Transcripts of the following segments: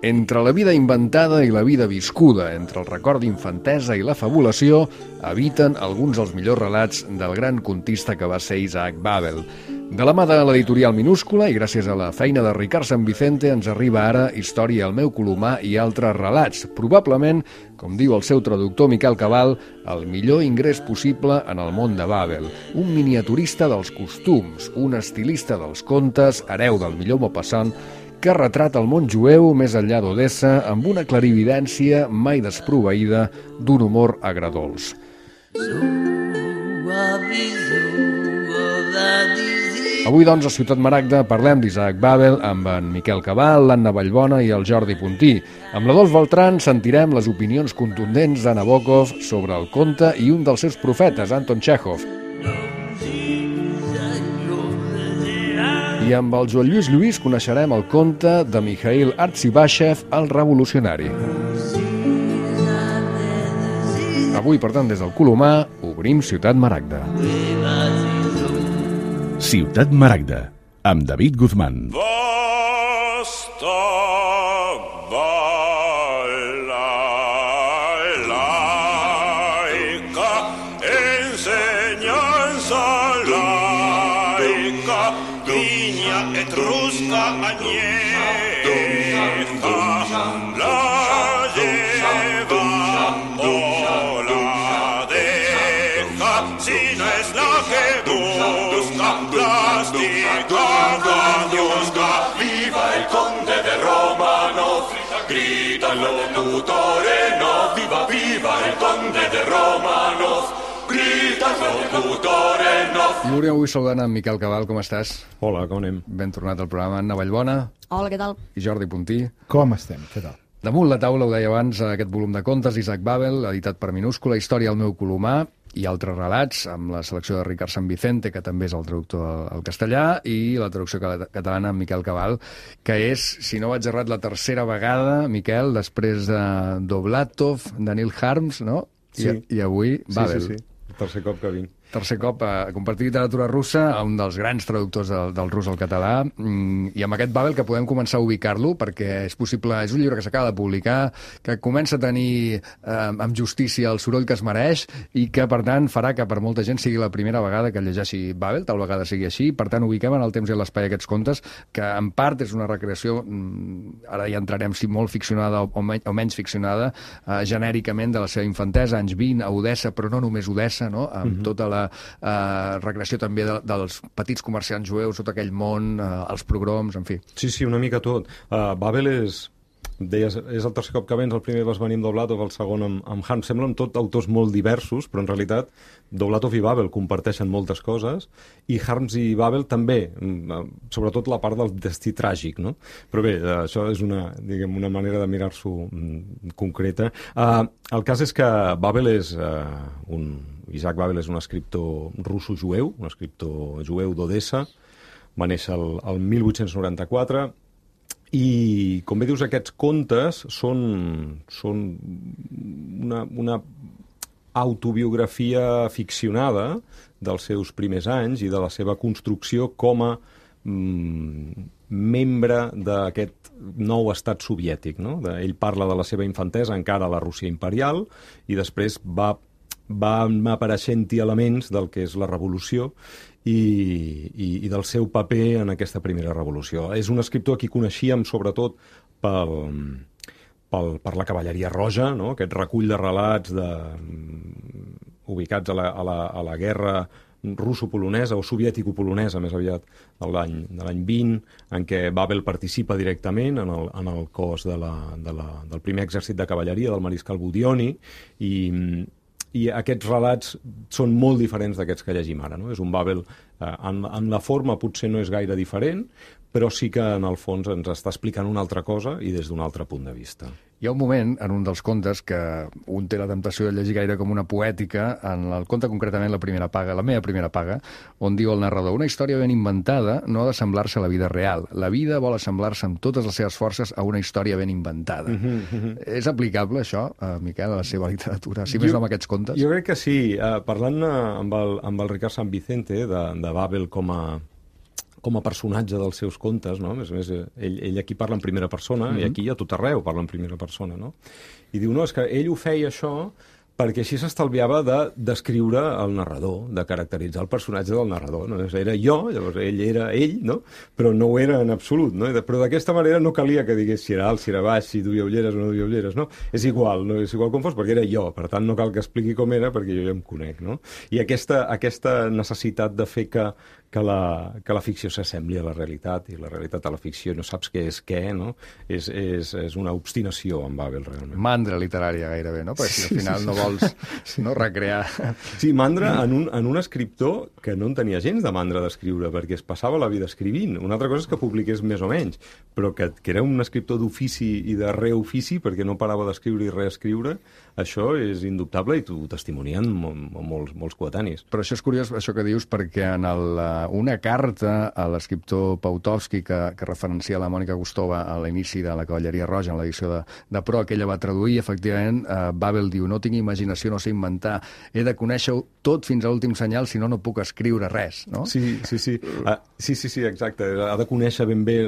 Entre la vida inventada i la vida viscuda, entre el record d'infantesa i la fabulació, habiten alguns dels millors relats del gran contista que va ser Isaac Babel. De la mà de l'editorial Minúscula i gràcies a la feina de Ricard San Vicente ens arriba ara Història al meu colomar i altres relats. Probablement, com diu el seu traductor Miquel Cabal, el millor ingrés possible en el món de Babel. Un miniaturista dels costums, un estilista dels contes, hereu del millor Maupassant, que retrata el món jueu més enllà d'Odessa amb una clarividència mai desproveïda d'un humor agredolç. Avui, doncs, a Ciutat Maragda parlem d'Isaac Babel amb en Miquel Cabal, l'Anna Vallbona i el Jordi Puntí. Amb l'Adolf Beltrán sentirem les opinions contundents de Nabokov sobre el conte i un dels seus profetes, Anton Txékhov. I amb el Joan Lluís Lluís coneixerem el conte de Mikhail Artzibashev, el revolucionari. Avui, per tant, des del Colomar, obrim Ciutat Maragda. Ciutat Maragda, amb David Guzmán. Viva el conde de Romanov, grita el locutore no, viva, viva el conde de Romanov, grita el locutore no. Núria, avui saludant amb Miquel Cabal, com estàs? Hola, com anem? Ben tornat al programa. Anna Vallbona. Hola, què tal? I Jordi Puntí. Com estem? Què tal? Damunt la taula, ho deia abans, aquest volum de contes, Isaac Babel, editat per Minúscula, Història al meu colomar, i altres relats, amb la selecció de Ricard San Vicente, que també és el traductor al castellà, i la traducció catalana amb Miquel Cabal, que és, si no vaig errat, la tercera vegada, Miquel, després de Dovlatov, de Neil Harms, no? Sí. I avui Babel. Sí. El tercer cop que vinc. Tercer cop a compartir literatura russa a un dels grans traductors del rus al català, i amb aquest Babel que podem començar a ubicar-lo, perquè és possible, és un llibre que s'acaba de publicar, que comença a tenir amb justícia el soroll que es mereix i que, per tant, farà que per molta gent sigui la primera vegada que llegeixi Babel, tal vegada sigui així. Per tant, ubiquem en el temps i l'espai aquests contes, que en part és una recreació, ara ja entrarem si molt ficcionada o menys ficcionada, genèricament de la seva infantesa, anys 20, a Odessa, però no només Odessa, no? Amb tota la recreació també dels petits comerciants jueus, tot aquell món, els pogroms, en fi. Sí, una mica tot. Babel és el tercer cop que vens, el primer vas venir amb Dovlatov, el segon amb Harms. Semblen tot autors molt diversos, però en realitat Dovlatov i Babel comparteixen moltes coses, i Harms i Babel també, sobretot la part del destí tràgic, no? Però bé, això és una manera de mirar-s'ho concreta. El cas és que Babel és Isaac Babel és un escriptor russo-jueu, un escriptor jueu d'Odessa, va néixer el 1894, i, com bé dius, aquests contes són una autobiografia ficcionada dels seus primers anys i de la seva construcció com a membre d'aquest nou estat soviètic, no? Ell parla de la seva infantesa encara a la Rússia imperial i després va apareixent-hi elements del que és la revolució i del seu paper en aquesta primera revolució. És un escriptor a qui coneixíem sobretot per la cavalleria roja, no? Aquest recull de relats ubicats a la guerra russo-polonesa o soviètico-polonesa, més aviat, de l'any 20, en què Babel participa directament en el cos del primer exèrcit de cavalleria del mariscal Budioni, i aquests relats són molt diferents d'aquests que llegim ara, no? És un Babel, en la forma potser no és gaire diferent, però sí que en el fons ens està explicant una altra cosa i des d'un altre punt de vista. Hi ha un moment en un dels contes que un té la temptació de llegir gaire com una poètica, en el conte concretament La primera paga, la meva primera paga, on diu el narrador: una història ben inventada no ha d'assemblar-se a la vida real. La vida vol assemblar-se amb totes les seves forces a una història ben inventada. És aplicable això, Miquel, a la seva literatura, si més no amb aquests contes? Jo crec que sí. Parlant amb el Ricard San Vicente de Babel com com a personatge dels seus contes, no? A més, ell aquí parla en primera persona, i aquí a tot arreu parla en primera persona, no? I diu, no, és que ell ho feia això perquè així s'estalviava de descriure el narrador, de caracteritzar el personatge del narrador. No? Era jo, llavors ell era ell, no? Però no ho era en absolut. No? Però d'aquesta manera no calia que digués si era alt, si era baix, si duia ulleres o no duia ulleres. No? És igual com fos, perquè era jo. Per tant, no cal que expliqui com era, perquè jo ja em conec. No? I aquesta necessitat de fer que la ficció s'assembli a la realitat, i la realitat a la ficció, no saps què és què, no? És una obstinació en Babel, realment. Mandra literària, gairebé, no? Perquè si al final no vols recrear... Sí, mandra en un escriptor que no en tenia gens de mandra d'escriure, perquè es passava la vida escrivint. Una altra cosa és que publiqués més o menys, però que era un escriptor d'ofici i de reofici, perquè no parava d'escriure i reescriure, això és indubtable i t'ho testimonien molts coetanis. Però això és curiós, això que dius, perquè en una carta a l'escriptor Pautovsky que referencia la Mònica Gustova a l'inici de la Cavalleria Roja, en l'edició de Pro, que ella va traduir, efectivament, Babel diu, no tinc imaginació, no sé inventar, he de conèixer-ho tot fins a l'últim senyal, si no, no puc escriure res, no? Sí, exacte. Ha de conèixer ben bé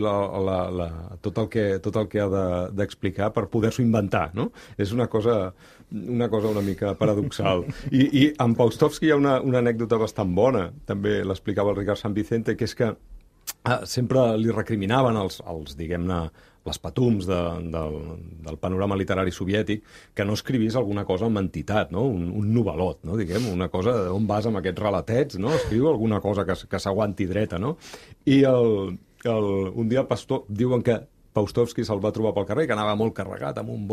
tot el que ha d'explicar per poder-s'ho inventar, no? És una cosa una mica paradoxal. I en Pautovsky hi ha una anècdota bastant bona, també l'explicava el Ricard Sant Vicente, que és que sempre li recriminaven els diguem-ne, les patums del panorama literari soviètic, que no escrivís alguna cosa amb entitat, no? Un novel·lot, no? Diguem, una cosa on vas amb aquests relatets, no? Escriu alguna cosa que s'aguanti dreta, no? I un dia el pastor diuen que Pautovsky se'l va trobar pel carrer, que anava molt carregat, amb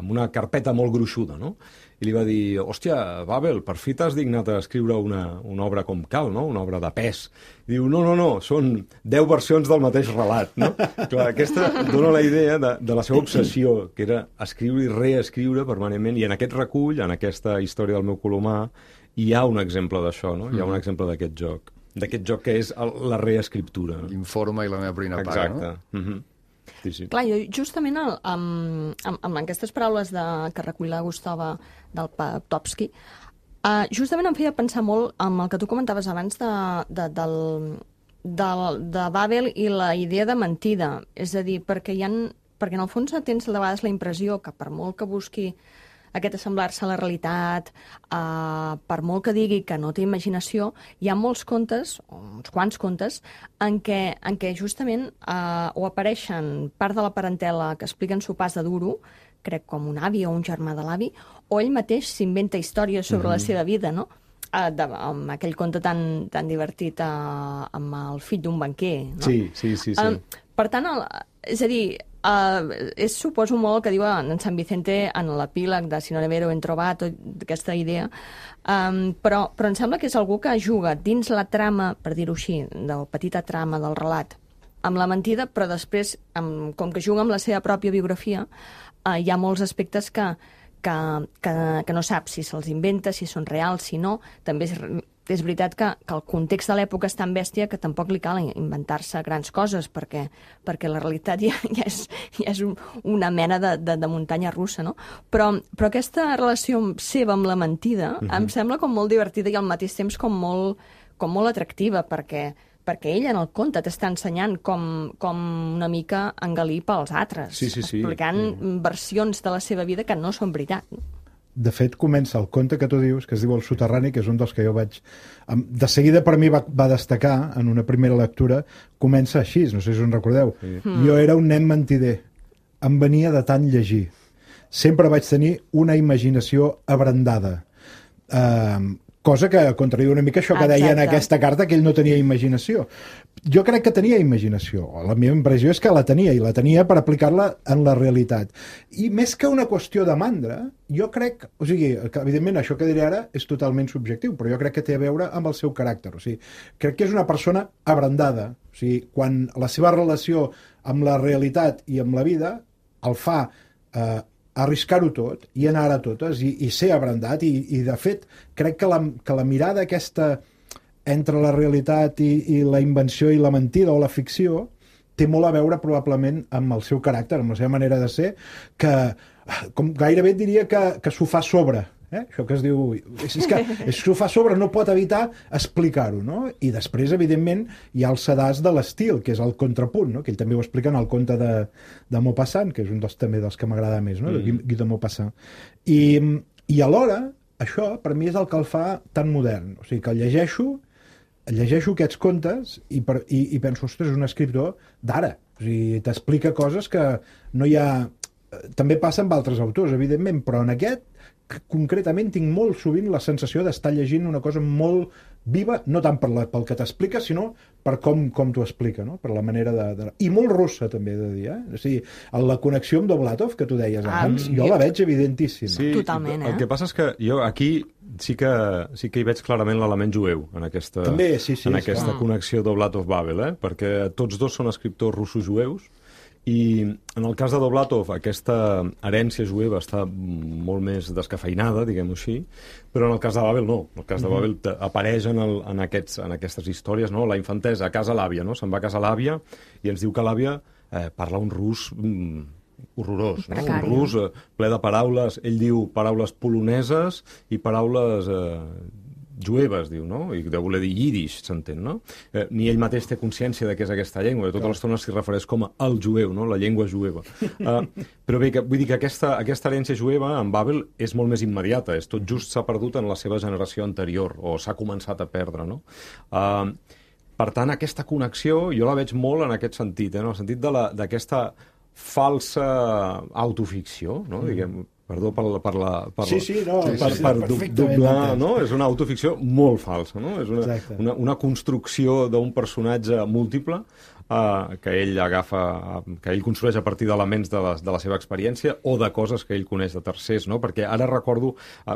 una carpeta molt gruixuda, no? I li va dir, hòstia, Babel, per fi t'has dignat a escriure una obra com cal, no? Una obra de pes. I diu, no, són 10 versions del mateix relat, no? Clar, aquesta dona la idea de la seva obsessió, que era escriure i reescriure permanentment, i en aquest recull, en aquesta història del meu colomà, hi ha un exemple d'això, no? Hi ha un exemple d'aquest joc que és la reescriptura. L'informe i la meva prina paga, no? Exacte. Sí. Clar, jo justament amb aquestes paraules que recull la Gustova del Pautovsky, justament em feia pensar molt en el que tu comentaves abans de Babel i la idea de mentida. És a dir, perquè en el fons tens de vegades la impressió que per molt que busqui aquest assemblar-se a la realitat, per molt que digui que no té imaginació, hi ha molts contes, uns quants contes, en què justament o apareixen part de la parentela que expliquen sopars de duro, crec com un avi o un germà de l'avi, o ell mateix s'inventa històries sobre la seva vida, no? Amb aquell conte tan divertit amb el fill d'un banquer, no? Sí. Per tant, és a dir, és suposo molt el que diu en Sant Vicente en l'epíleg de Si no nevero en trobat, aquesta idea, però em sembla que és algú que juga dins la trama, per dir-ho així, de la petita trama del relat, amb la mentida, però després, com que juga amb la seva pròpia biografia, hi ha molts aspectes que no saps si se'ls inventa, si són reals, si no. També és veritat que el context de l'època és tan bèstia que tampoc li cal inventar-se grans coses, perquè la realitat ja és una mena de muntanya russa, no? Però aquesta relació seva amb la mentida em sembla com molt divertida i al mateix temps com molt atractiva, perquè ell en el conte t'està ensenyant com una mica engalir pels altres, explicant versions de la seva vida que no són veritat. De fet, comença el conte que tu dius, que es diu El soterrani, que és un dels que jo vaig... De seguida per mi va destacar, en una primera lectura, comença així, no sé si us en recordeu. Jo era un nen mentider, em venia de tant llegir. Sempre vaig tenir una imaginació abrandada. Cosa que contradiu una mica això que deia en aquesta carta, que ell no tenia imaginació. Jo crec que tenia imaginació. La meva impressió és que la tenia, i la tenia per aplicar-la en la realitat. I més que una qüestió de mandra, jo crec... O sigui, que, evidentment, això que diré ara és totalment subjectiu, però jo crec que té a veure amb el seu caràcter. O sigui, crec que és una persona abrandada. O sigui, quan la seva relació amb la realitat i amb la vida el fa... arriscar-ho tot i anar a totes i ser abrandat i de fet crec que la mirada aquesta entre la realitat i la invenció i la mentida o la ficció té molt a veure probablement amb el seu caràcter, amb la seva manera de ser, que com gairebé diria que s'ho fa sobre Això que es diu... És que s'ho fa sobre, no pot evitar explicar-ho, no? I després, evidentment, hi ha el sedàs de l'estil, que és el contrapunt, no? Que ell també ho explica en el conte de Maupassant, que és un també dels que m'agrada més, no? De Guy de Maupassant. I alhora, això, per mi, és el que el fa tan modern. O sigui, que llegeixo aquests contes i penso, ostres, és un escriptor d'ara. O sigui, t'explica coses que no hi ha... També passa amb altres autors, evidentment, però en aquest, concretament, tinc molt sovint la sensació d'estar llegint una cosa molt viva, no tant pel que t'explica, sinó per com t'ho explica, no? Per la manera de... I molt russa, també, he de dir, eh? O sigui, la connexió amb Dovlatov, que tu deies abans, jo la veig evidentíssima. Sí, totalment, el que passa és que jo aquí sí que hi veig clarament l'element jueu en aquesta, també, sí, en aquesta connexió Dovlatov-Babel, perquè tots dos són escriptors russos-jueus, i en el cas de Dovlatov aquesta herència jueva està molt més descafeinada, diguem-ho així, però en el cas de Babel no. En el cas de Babel apareix en aquestes històries, no? La infantesa a casa l'àvia, no? Se'n va a casa l'àvia i ens diu que l'àvia parla un rus horrorós, no? Un rus ple de paraules, ell diu paraules poloneses i paraules jueves, diu, no? I deu voler dir yiddish, s'entén, no? Ni ell mateix té consciència de què és aquesta llengua, tota l'estona s'hi refereix com a el jueu, no? La llengua jueva. Però bé, vull dir que aquesta herència jueva en Babel és molt més immediata, és tot just s'ha perdut en la seva generació anterior, o s'ha començat a perdre, no? Per tant, aquesta connexió jo la veig molt en aquest sentit, en el sentit d'aquesta falsa autoficció, no? Diguem, perdó per doblar, no? És una autoficció molt falsa, no? És una construcció d'un personatge múltiple que ell agafa, que ell construeix a partir d'elements de la seva experiència o de coses que ell coneix de tercers, no? Perquè ara recordo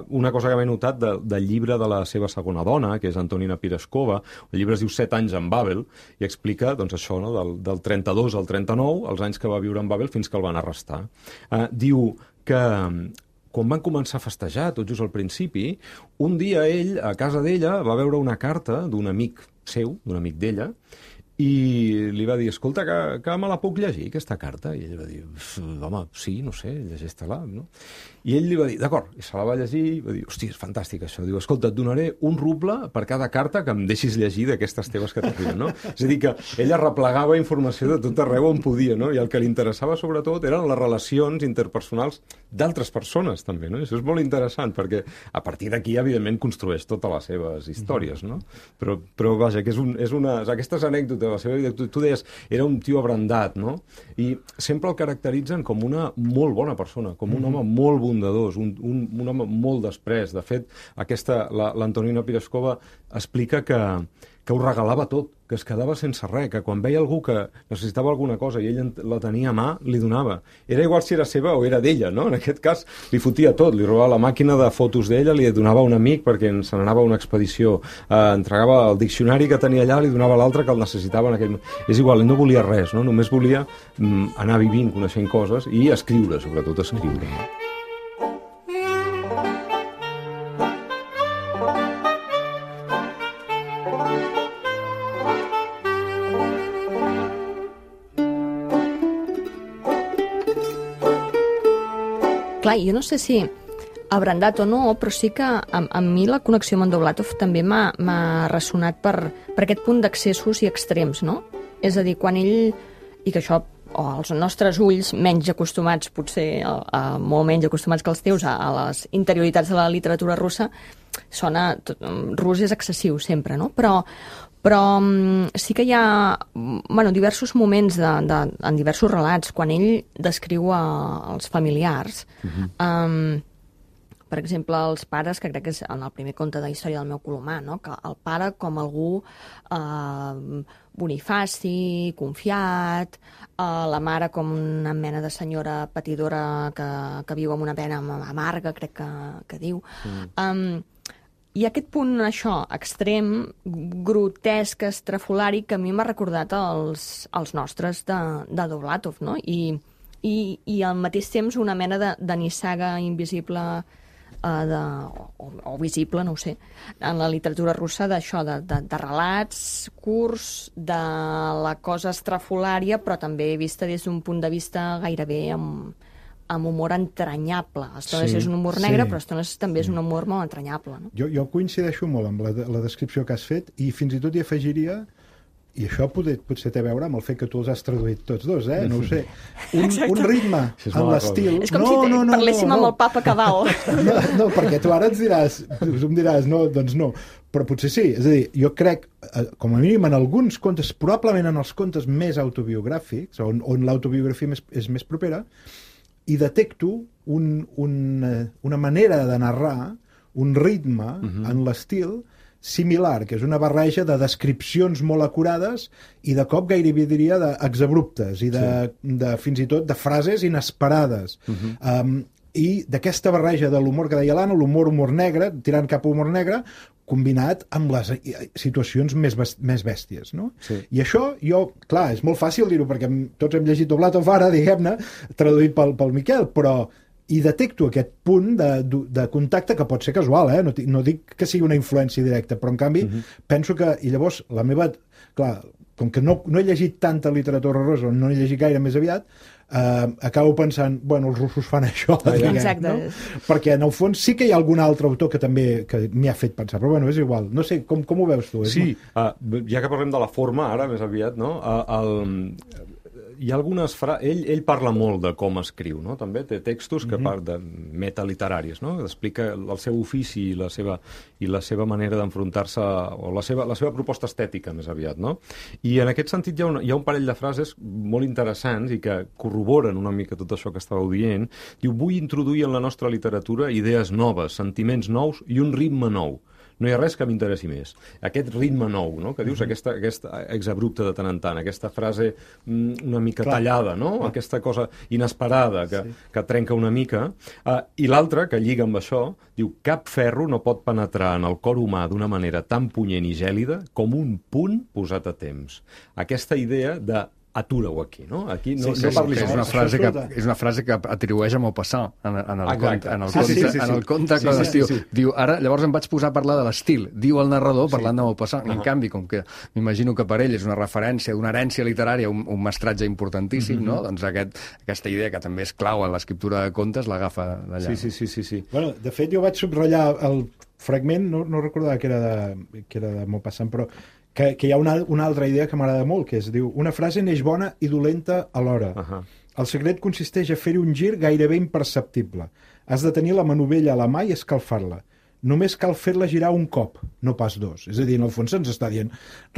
una cosa que m'he notat del llibre de la seva segona dona, que és Antonina Pireskova. El llibre es diu 7 anys en Babel, i explica, doncs, això, no? Del 32 al 39, els anys que va viure en Babel fins que el van arrestar. Diu que quan van començar a festejar, tot just al principi, un dia ell, a casa d'ella, va veure una carta d'un amic seu, d'un amic d'ella, i li va dir, escolta, que me la puc llegir, aquesta carta? I ell va dir, home, sí, no sé, llegeix-te-la, no? I ell li va dir, d'acord, i se la va llegir, i va dir, hòstia, és fantàstic això. Diu, escolta, et donaré un ruble per cada carta que em deixis llegir d'aquestes teves que t'arriben, no? És a dir, que ella replegava informació de tot arreu on podia, no? I el que li interessava, sobretot, eren les relacions interpersonals d'altres persones, també, no? I això és molt interessant, perquè a partir d'aquí, evidentment, construeix totes les seves històries, no? Però vaja, que aquestes anècdotes de la seva vida, tu deies, era un tio abrandat, no? I sempre el caracteritzen com una molt bona persona, com un home molt bondadós, un home molt després. De fet, l'Antonina Pireskova explica que ho regalava tot, que es quedava sense res, que quan veia algú que necessitava alguna cosa i ell la tenia a mà, li donava. Era igual si era seva o era d'ella, no? En aquest cas, li fotia tot, li robava la màquina de fotos d'ella, li donava a un amic perquè se n'anava a una expedició, entregava el diccionari que tenia allà, li donava l'altre que el necessitava en aquell moment. És igual, ell no volia res, no? Només volia anar vivint, coneixent coses i escriure, sobretot escriure. Clar, jo no sé si abrandat o no, però sí que a mi la connexió amb en Dovlatov també m'ha ressonat per aquest punt d'accessos i extrems, no? És a dir, quan ell, i que això, o els nostres ulls menys acostumats, potser molt menys acostumats que els teus a les interioritats de la literatura russa, rus és excessiu sempre, no? Però sí que hi ha diversos moments en diversos relats, quan ell descriu els familiars, per exemple, els pares, que crec que és en el primer conte de Història del meu colomà, no? Que el pare com algú bonifaci, confiat, la mare com una mena de senyora patidora que viu amb una pena amarga, crec que diu. Hi ha aquest punt, això, extrem, grotesc, estrafolari, que a mi m'ha recordat els nostres de Dovlatov, no? I al mateix temps una mena de nissaga invisible o visible, no ho sé, en la literatura russa d'això, de relats curts, de la cosa estrafolària, però també vista des d'un punt de vista gairebé amb humor entranyable. A estones és un humor negre, però a estones també és un humor molt entranyable. No? Jo coincideixo molt amb la descripció que has fet i fins i tot hi afegiria, i això potser té a veure amb el fet que tu els has traduït tots dos, no ho sé, un ritme en l'estil... És com si parléssim amb el papa Cabal. No, perquè tu ara em diràs, no, doncs no, però potser sí. És a dir, jo crec, com a mínim en alguns contes, probablement en els contes més autobiogràfics, on l'autobiografia és més propera, i detecto una manera de narrar, un ritme en l'estil similar, que és una barreja de descripcions molt acurades i de cop gairebé diria d'exabruptes i fins i tot de frases inesperades. I d'aquesta barreja de l'humor que deia l'Anna, humor negre, tirant cap a humor negre, combinat amb les situacions més bèsties, no? Sí. I això, clar, és molt fàcil dir-ho, perquè tots hem llegit Doblatov ara, diguem-ne, traduït pel Miquel, però i detecto aquest punt de contacte que pot ser casual, no dic que sigui una influència directa, però en canvi penso que, i llavors la meva, clar, com que no he llegit tanta literatura russa, no he llegit gaire més aviat, acabo pensant, bueno, els russos fan això, exacte, no? Perquè en el fons sí que hi ha algun altre autor que també m'hi ha fet pensar, però bueno, és igual, no sé, com ho veus tu? Sí, ja que parlem de la forma ara, més aviat, no? Hi ha algunes frases... Ell parla molt de com escriu, no? També té textos que de metaliteraris, no? Explica el seu ofici i la seva manera d'enfrontar-se, o la seva proposta estètica, més aviat, no? I en aquest sentit hi ha un parell de frases molt interessants i que corroboren una mica tot això que estàveu dient. Diu, vull introduir en la nostra literatura idees noves, sentiments nous i un ritme nou. No hi ha res que m'interessi més. Aquest ritme nou, no?, que dius, aquesta exabrupte de tant en tant, aquesta frase una mica tallada, no?, aquesta cosa inesperada que trenca una mica. I l'altra, que lliga amb això, diu, cap ferro no pot penetrar en el cor humà d'una manera tan punyent i gèlida com un punt posat a temps. Aquesta idea de atura-ho aquí, no? Aquí no parlis. És una frase que atribueix a Maupassant en el conte que l'estiu. Diu, ara, llavors em vaig posar a parlar de l'estil, diu el narrador parlant de Maupassant. En canvi, com que m'imagino que per ell és una referència d'una herència literària, un mestratge importantíssim, no? Doncs aquesta idea, que també és clau en l'escriptura de contes, l'agafa d'allà. Sí. Bueno, de fet, jo vaig subratllar el fragment, no recordava que era de Maupassant, però que hi ha una altra idea que m'agrada molt, que diu, una frase neix bona i dolenta alhora. El secret consisteix a fer-hi un gir gairebé imperceptible. Has de tenir la manovella a la mà i escalfar-la. Només cal fer-la girar un cop, no pas dos. És a dir, en el fons ens està dient,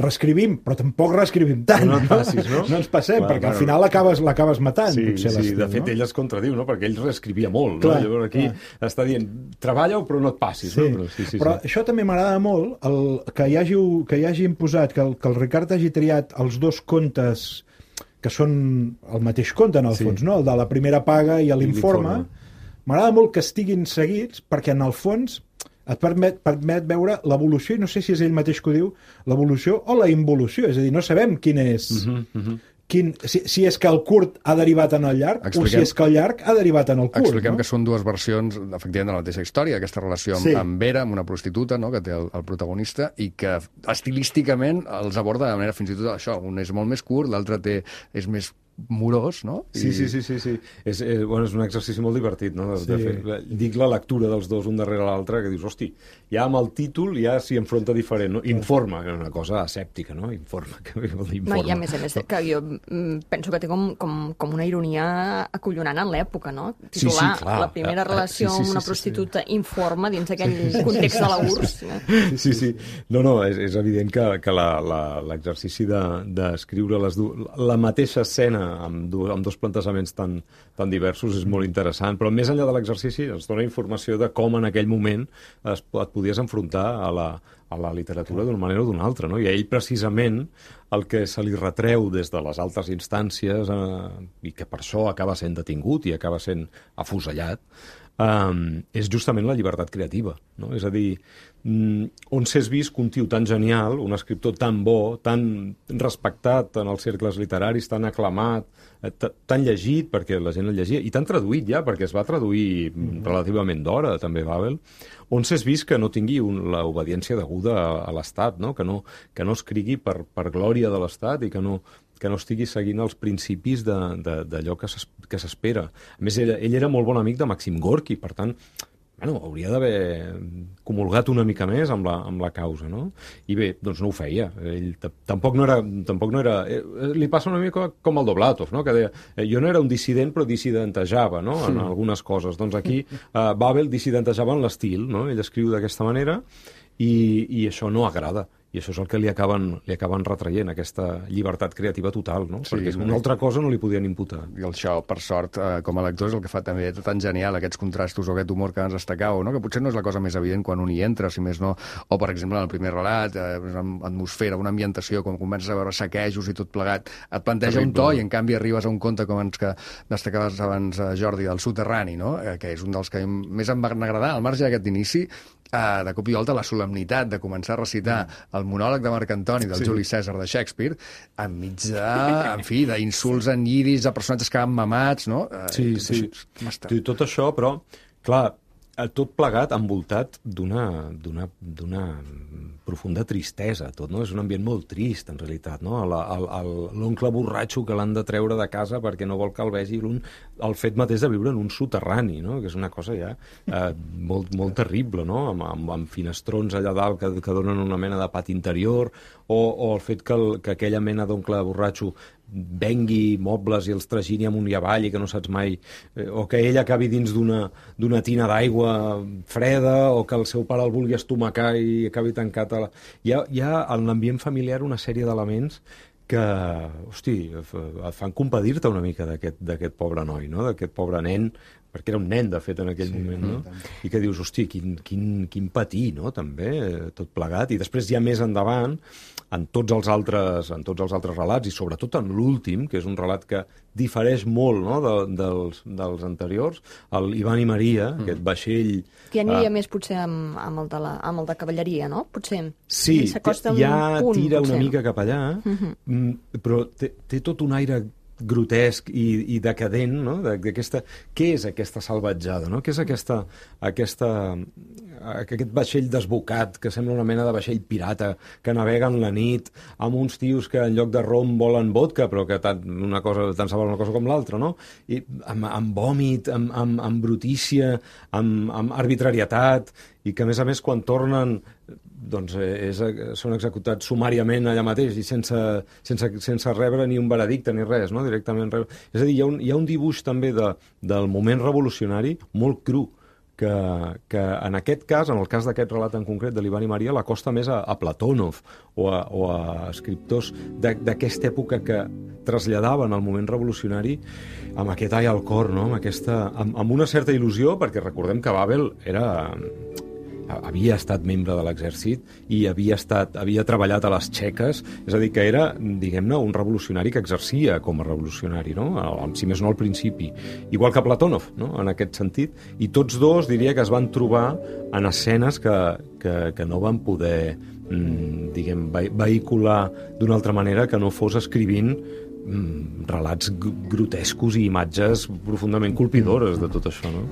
reescrivim, però tampoc reescrivim tant. No et passis, no? No ens passem, perquè al final l'acabes matant. Sí, de fet, ell es contradiu, no? Perquè ell reescrivia molt. Clar, no? Llavors aquí està dient, treballa-ho, però no et passis. Sí. No? Però això també m'agrada molt, que hi hagi imposat, que el Ricard hagi triat els dos contes que són el mateix conte, en el fons, no? El de la primera paga i l'informe. M'agrada molt que estiguin seguits, perquè en el fons et permet veure l'evolució, i no sé si és ell mateix que ho diu, l'evolució o la involució, és a dir, no sabem quin és... Si és que el curt ha derivat en el llarg, o si és que el llarg ha derivat en el curt. Expliquem que són dues versions, efectivament, de la mateixa història, aquesta relació amb Vera, amb una prostituta, no?, que té el protagonista, i que estilísticament els aborda de manera fins i tot això. Un és molt més curt, l'altre és més morós, no? Sí. És un exercici molt divertit, no? De fer, dic la lectura dels dos un darrere l'altre, que dius, hosti, ja amb el títol ja s'hi enfronta diferent, no? Informa, que és una cosa asèptica, no? Informa, que vol dir informa. No, i a més, que jo penso que té com una ironia acollonant en l'època, no? Titular la primera relació amb una prostituta informa dins aquell context de la URSS. Sí. No, és evident que l'exercici d'escriure la mateixa escena amb dos plantejaments tan diversos és molt interessant, però més enllà de l'exercici ens dona informació de com en aquell moment et podies enfrontar a la literatura d'una manera o d'una altra, no? I a ell precisament el que se li retreu des de les altres instàncies i que per això acaba sent detingut i acaba sent afusellat és justament la llibertat creativa, no? És a dir, on s'és vist que un tio tan genial, un escriptor tan bo, tan respectat en els cercles literaris, tan aclamat, tan llegit, perquè la gent el llegia, i tan traduït ja, perquè es va traduir relativament d'hora, també, Babel, on s'és vist que no tingui l'obediència deguda a l'Estat, no? Que no escrigui per glòria de l'Estat i que no que no estigui seguint els principis d'allò que s'espera. A més, ell era molt bon amic de Maxim Gorki, per tant, bueno, hauria d'haver comulgat una mica més amb la causa, no? I bé, doncs no ho feia. Ell tampoc no era... Li passa una mica com el Doblatov, no? Que deia, jo no era un dissident, però dissidentejava, no? En algunes coses. Doncs aquí Babel dissidentejava en l'estil, no? Ell escriu d'aquesta manera i això no agrada. I això és el que li acaben retraient, aquesta llibertat creativa total, no? Sí, perquè una altra cosa no li podien imputar. I això, per sort, com a lector, és el que fa també tan genial, aquests contrastos o aquest humor que ens destacàveu, no? Que potser no és la cosa més evident quan un hi entra, si més no, o, per exemple, en el primer relat, atmosfera, una ambientació, com comences a veure saquejos i tot plegat, et planteja un to i, en canvi, arribes a un conte, com ens que destacaves abans, Jordi, del soterrani, no? Que és un dels que més em van agradar, al marge d'aquest inici, de cop i volta la solemnitat de començar a recitar el monòleg de Marc Antoni del Juli Cèsar de Shakespeare enmig d'insults en lliris a personatges que van mamats, no? Sí. Tot això, però, clar, tot plegat envoltat d'una profunda tristesa, tot, no? És un ambient molt trist, en realitat, no? L'oncle borratxo que l'han de treure de casa perquè no vol que el vegi, el fet mateix de viure en un soterrani, no? Que és una cosa ja molt terrible, no? Amb finestrons allà dalt que donen una mena de pati interior, o el fet que aquella mena d'oncle borratxo vengui mobles i els tragini amunt i avall i que no saps mai, o que ell acabi dins d'una tina d'aigua freda, o que el seu pare el vulgui estomacar i acabi tancat hi ha en l'ambient familiar una sèrie d'elements que, hosti, et fan compadir-te una mica d'aquest pobre noi, no? D'aquest pobre nen, perquè era un nen, de fet, en aquell moment, no? I que dius, hosti, quin patir, no?, també, tot plegat. I després, ja més endavant, en tots els altres relats, i sobretot en l'últim, que és un relat que difereix molt, no?, dels anteriors, l'Ivan i Maria, aquest vaixell... Que ja aniria més, potser, amb el de cavalleria, no? Potser. Sí, ja tira una mica cap allà, però té tot un aire grotesc i decadent, no? Què és aquesta salvatjada, no? Què és aquest vaixell desbocat que sembla una mena de vaixell pirata que navega en la nit amb uns tios que en lloc de rom volen vodka, però que tant se val una cosa com l'altra, no? I amb vòmit, amb brutícia, amb arbitrarietat, i que, a més, quan tornen, doncs són executats sumàriament allà mateix i sense rebre ni un veredicte ni res, no? Directament rebre. És a dir, hi ha un dibuix també del moment revolucionari molt cru, que en aquest cas, en el cas d'aquest relat en concret de l'Ivan i Maria, l'acosta més a Platonov o a escriptors d'aquesta època que traslladaven el moment revolucionari amb aquest ai al cor, no? Amb una certa il·lusió, perquè recordem que Babel havia estat membre de l'exèrcit i havia treballat a les txeques, és a dir, que era, diguem-ne, un revolucionari que exercia com a revolucionari, no? Si més no al principi. Igual que Platonov, no?, en aquest sentit. I tots dos, diria que es van trobar en escenes que no van poder, vehicular d'una altra manera que no fos escrivint relats grotescos i imatges profundament colpidores de tot això, no?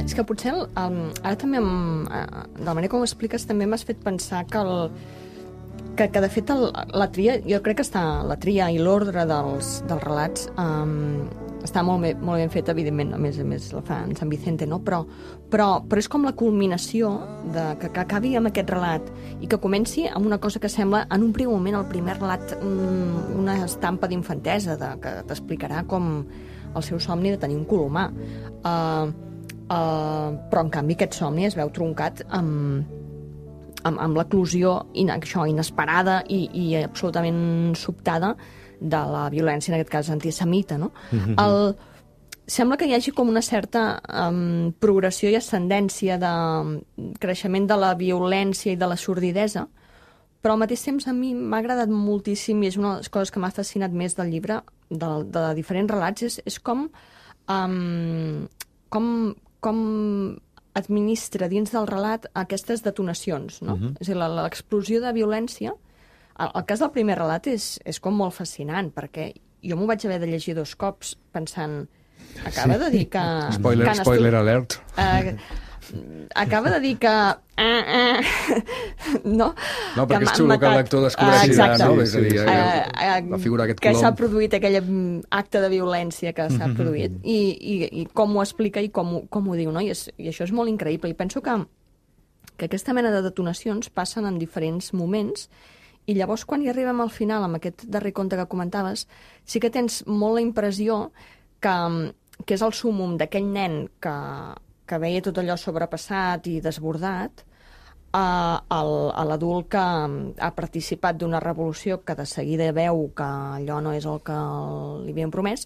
És que potser, ara també, de la manera com ho expliques, també m'has fet pensar que de fet la tria, jo crec que la tria i l'ordre dels relats està molt ben fet, evidentment, a més la fa en Sant Vicente, no? Però és com la culminació que acabi amb aquest relat i que comenci amb una cosa que sembla, en un primer moment, el primer relat, una estampa d'infantesa, que t'explicarà com el seu somni de tenir un colomar. Però en canvi aquest somni es veu truncat amb l'eclosió inesperada i absolutament sobtada de la violència, en aquest cas antisemita, no? Sembla que hi hagi com una certa progressió i ascendència de creixement de la violència i de la sordidesa, però al mateix temps a mi m'ha agradat moltíssim, i és una de les coses que m'ha fascinat més del llibre, de diferents relats, és com administra dins del relat aquestes detonacions, no? És a dir, l'explosió de violència El cas del primer relat és com molt fascinant, perquè jo m'ho vaig haver de llegir 2 cops pensant... Acaba de dir que... Spoiler alert. Acaba de dir que... No? No, perquè és xulo que el lector descobreixi no? És a dir, la figura d'aquest que colom. s'ha produït aquell acte de violència que s'ha produït i com ho explica i com ho diu, no? I això és molt increïble. I penso que aquesta mena de detonacions passen en diferents moments i llavors quan hi arribem al final, amb aquest darrer conte que comentaves, sí que tens molt la impressió que és el súmum d'aquell nen que veia tot allò sobrepassat i desbordat a l'adult que ha participat d'una revolució que de seguida veu que allò no és el que li havien promès,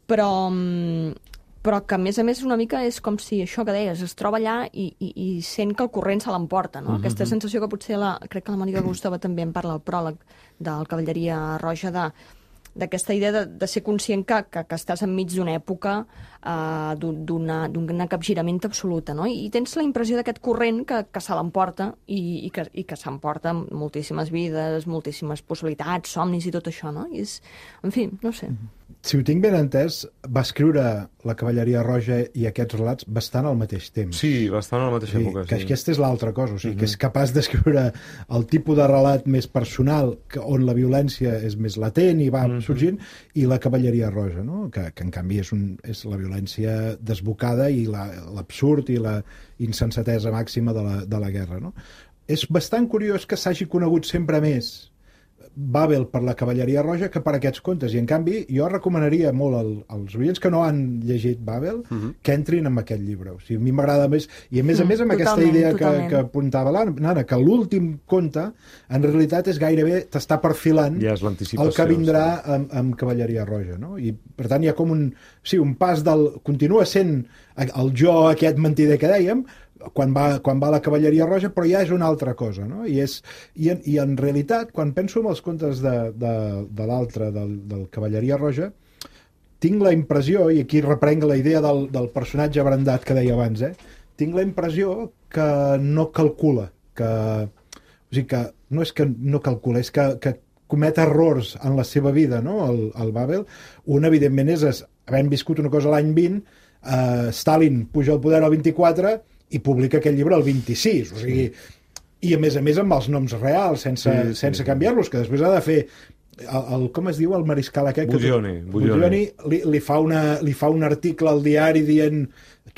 però que, a més, una mica és com si això que deies, es troba allà i sent que el corrent se l'emporta, no? Aquesta sensació que potser, crec que la Mònica Gustova també en parla al pròleg del Cavalleria Roja, d'aquesta idea de ser conscient que estàs enmig d'una època d'un capgirament absoluta, no? I tens la impressió d'aquest corrent que se l'emporta i que s'emporta moltíssimes vides, moltíssimes possibilitats, somnis i tot això, no? I en fi, no sé. Si ho tinc ben entès, va escriure La Cavalleria Roja i aquests relats bastant al mateix temps. Sí, bastant a la mateixa època. Que aquesta és l'altra cosa, o sigui, que és capaç d'escriure el tipus de relat més personal, on la violència és més latent i va sorgint, i La Cavalleria Roja, no? que en canvi és la violència desbocada i l'absurd i la insensatesa màxima de la guerra. No? És bastant curiós que s'hagi conegut sempre més Babel per La Cavalleria Roja que per aquests contes, i en canvi jo recomanaria molt als oients que no han llegit Babel que entrin en aquest llibre. O sigui, a mi m'agrada més, i a més amb aquesta idea que apuntava l'Anna, que l'últim conte en realitat és gairebé t'està perfilant el que vindrà amb Cavalleria Roja, no? I per tant hi ha com un pas continua sent el jo aquest mentider que dèiem quan va a La Cavalleria Roja, però ja és una altra cosa, no? I en realitat, quan penso en els contes de l'altre, del Cavalleria Roja, tinc la impressió, i aquí reprenc la idea del personatge abrandat que deia abans, tinc la impressió que no calcula, o sigui que no és que no calcula, és que comet errors en la seva vida, no? El Babel. Un, evidentment, és havent viscut una cosa l'any 20, Stalin puja al poder al 24 i publica aquest llibre el 26, o sigui, i a més amb els noms reals, sense canviar-los, que després ha de fer com es diu el mariscal aquest? Buglioni li fa un article al diari dient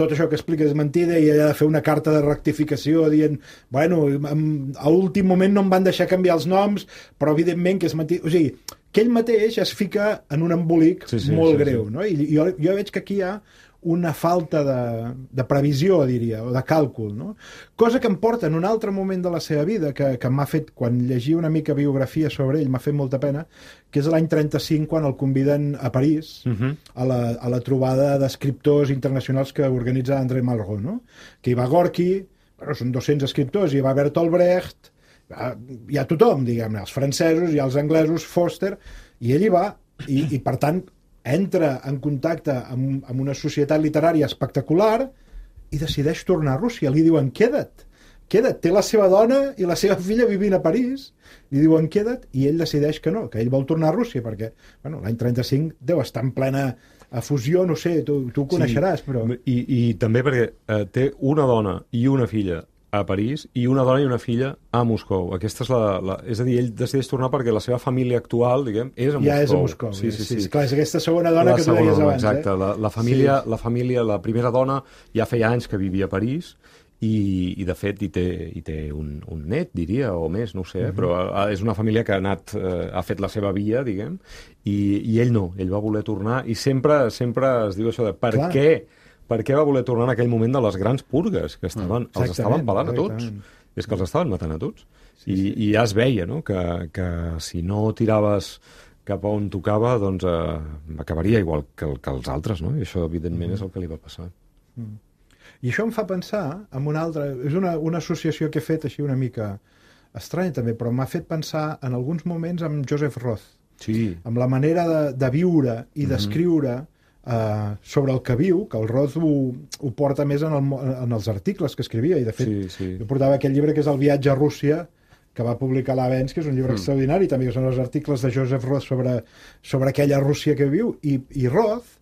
tot això que explica és mentida i ella ha de fer una carta de rectificació dient, bueno, a últim moment no em van deixar canviar els noms, però evidentment que és mentida. O sigui, que ell mateix es fica en un embolic molt greu, no? I jo veig que aquí hi ha una falta de previsió, diria, o de càlcul, no? Cosa que em porta en un altre moment de la seva vida, que m'ha fet, quan llegia una mica biografia sobre ell, m'ha fet molta pena, que és l'any 35, quan el conviden a París, a la trobada d'escriptors internacionals que organitza André Malraux, no? Que hi va Gorky, bueno, són 200 escriptors, hi va Bertolt Brecht, hi ha tothom, diguem-ne, els francesos, hi ha els anglesos, Foster, i ell hi va, i per tant, entra en contacte amb una societat literària espectacular i decideix tornar a Rússia. Li diuen, queda't. Té la seva dona i la seva filla vivint a París. Li diuen, queda't, i ell decideix que no, que ell vol tornar a Rússia, perquè l'any 35 deu estar en plena fusió, no sé, tu ho coneixeràs, però... I també perquè té una dona i una filla a París i una dona i una filla a Moscou. Aquesta és és a dir, ell decideix tornar perquè la seva família actual, diguem, és a Moscou. Ja és a Moscou. Sí. Clar, és aquesta segona dona que tu deies abans. Exacte. La família, la primera dona, ja feia anys que vivia a París i de fet, hi té un net, diria, o més, no ho sé, però és una família que ha fet la seva via, diguem, i ell no. Ell va voler tornar i sempre es diu això de per què va voler tornar en aquell moment de les grans purgues que els estaven pelant a tots. És que els estaven matant a tots. I ja es veia, no?, que si no tiraves cap a on tocava, doncs acabaria igual que els altres, no? I això, evidentment, és el que li va passar. I això em fa pensar en una altra... És una associació que he fet així una mica estranya, també, però m'ha fet pensar en alguns moments amb Joseph Roth. Sí. Amb la manera de viure i d'escriure sobre el que viu, que el Roth ho porta més en els articles que escrivia, i de fet jo portava aquest llibre que és El viatge a Rússia, que va publicar l'Avens, que és un llibre extraordinari, també que són els articles de Joseph Roth sobre aquella Rússia que viu, i Roth,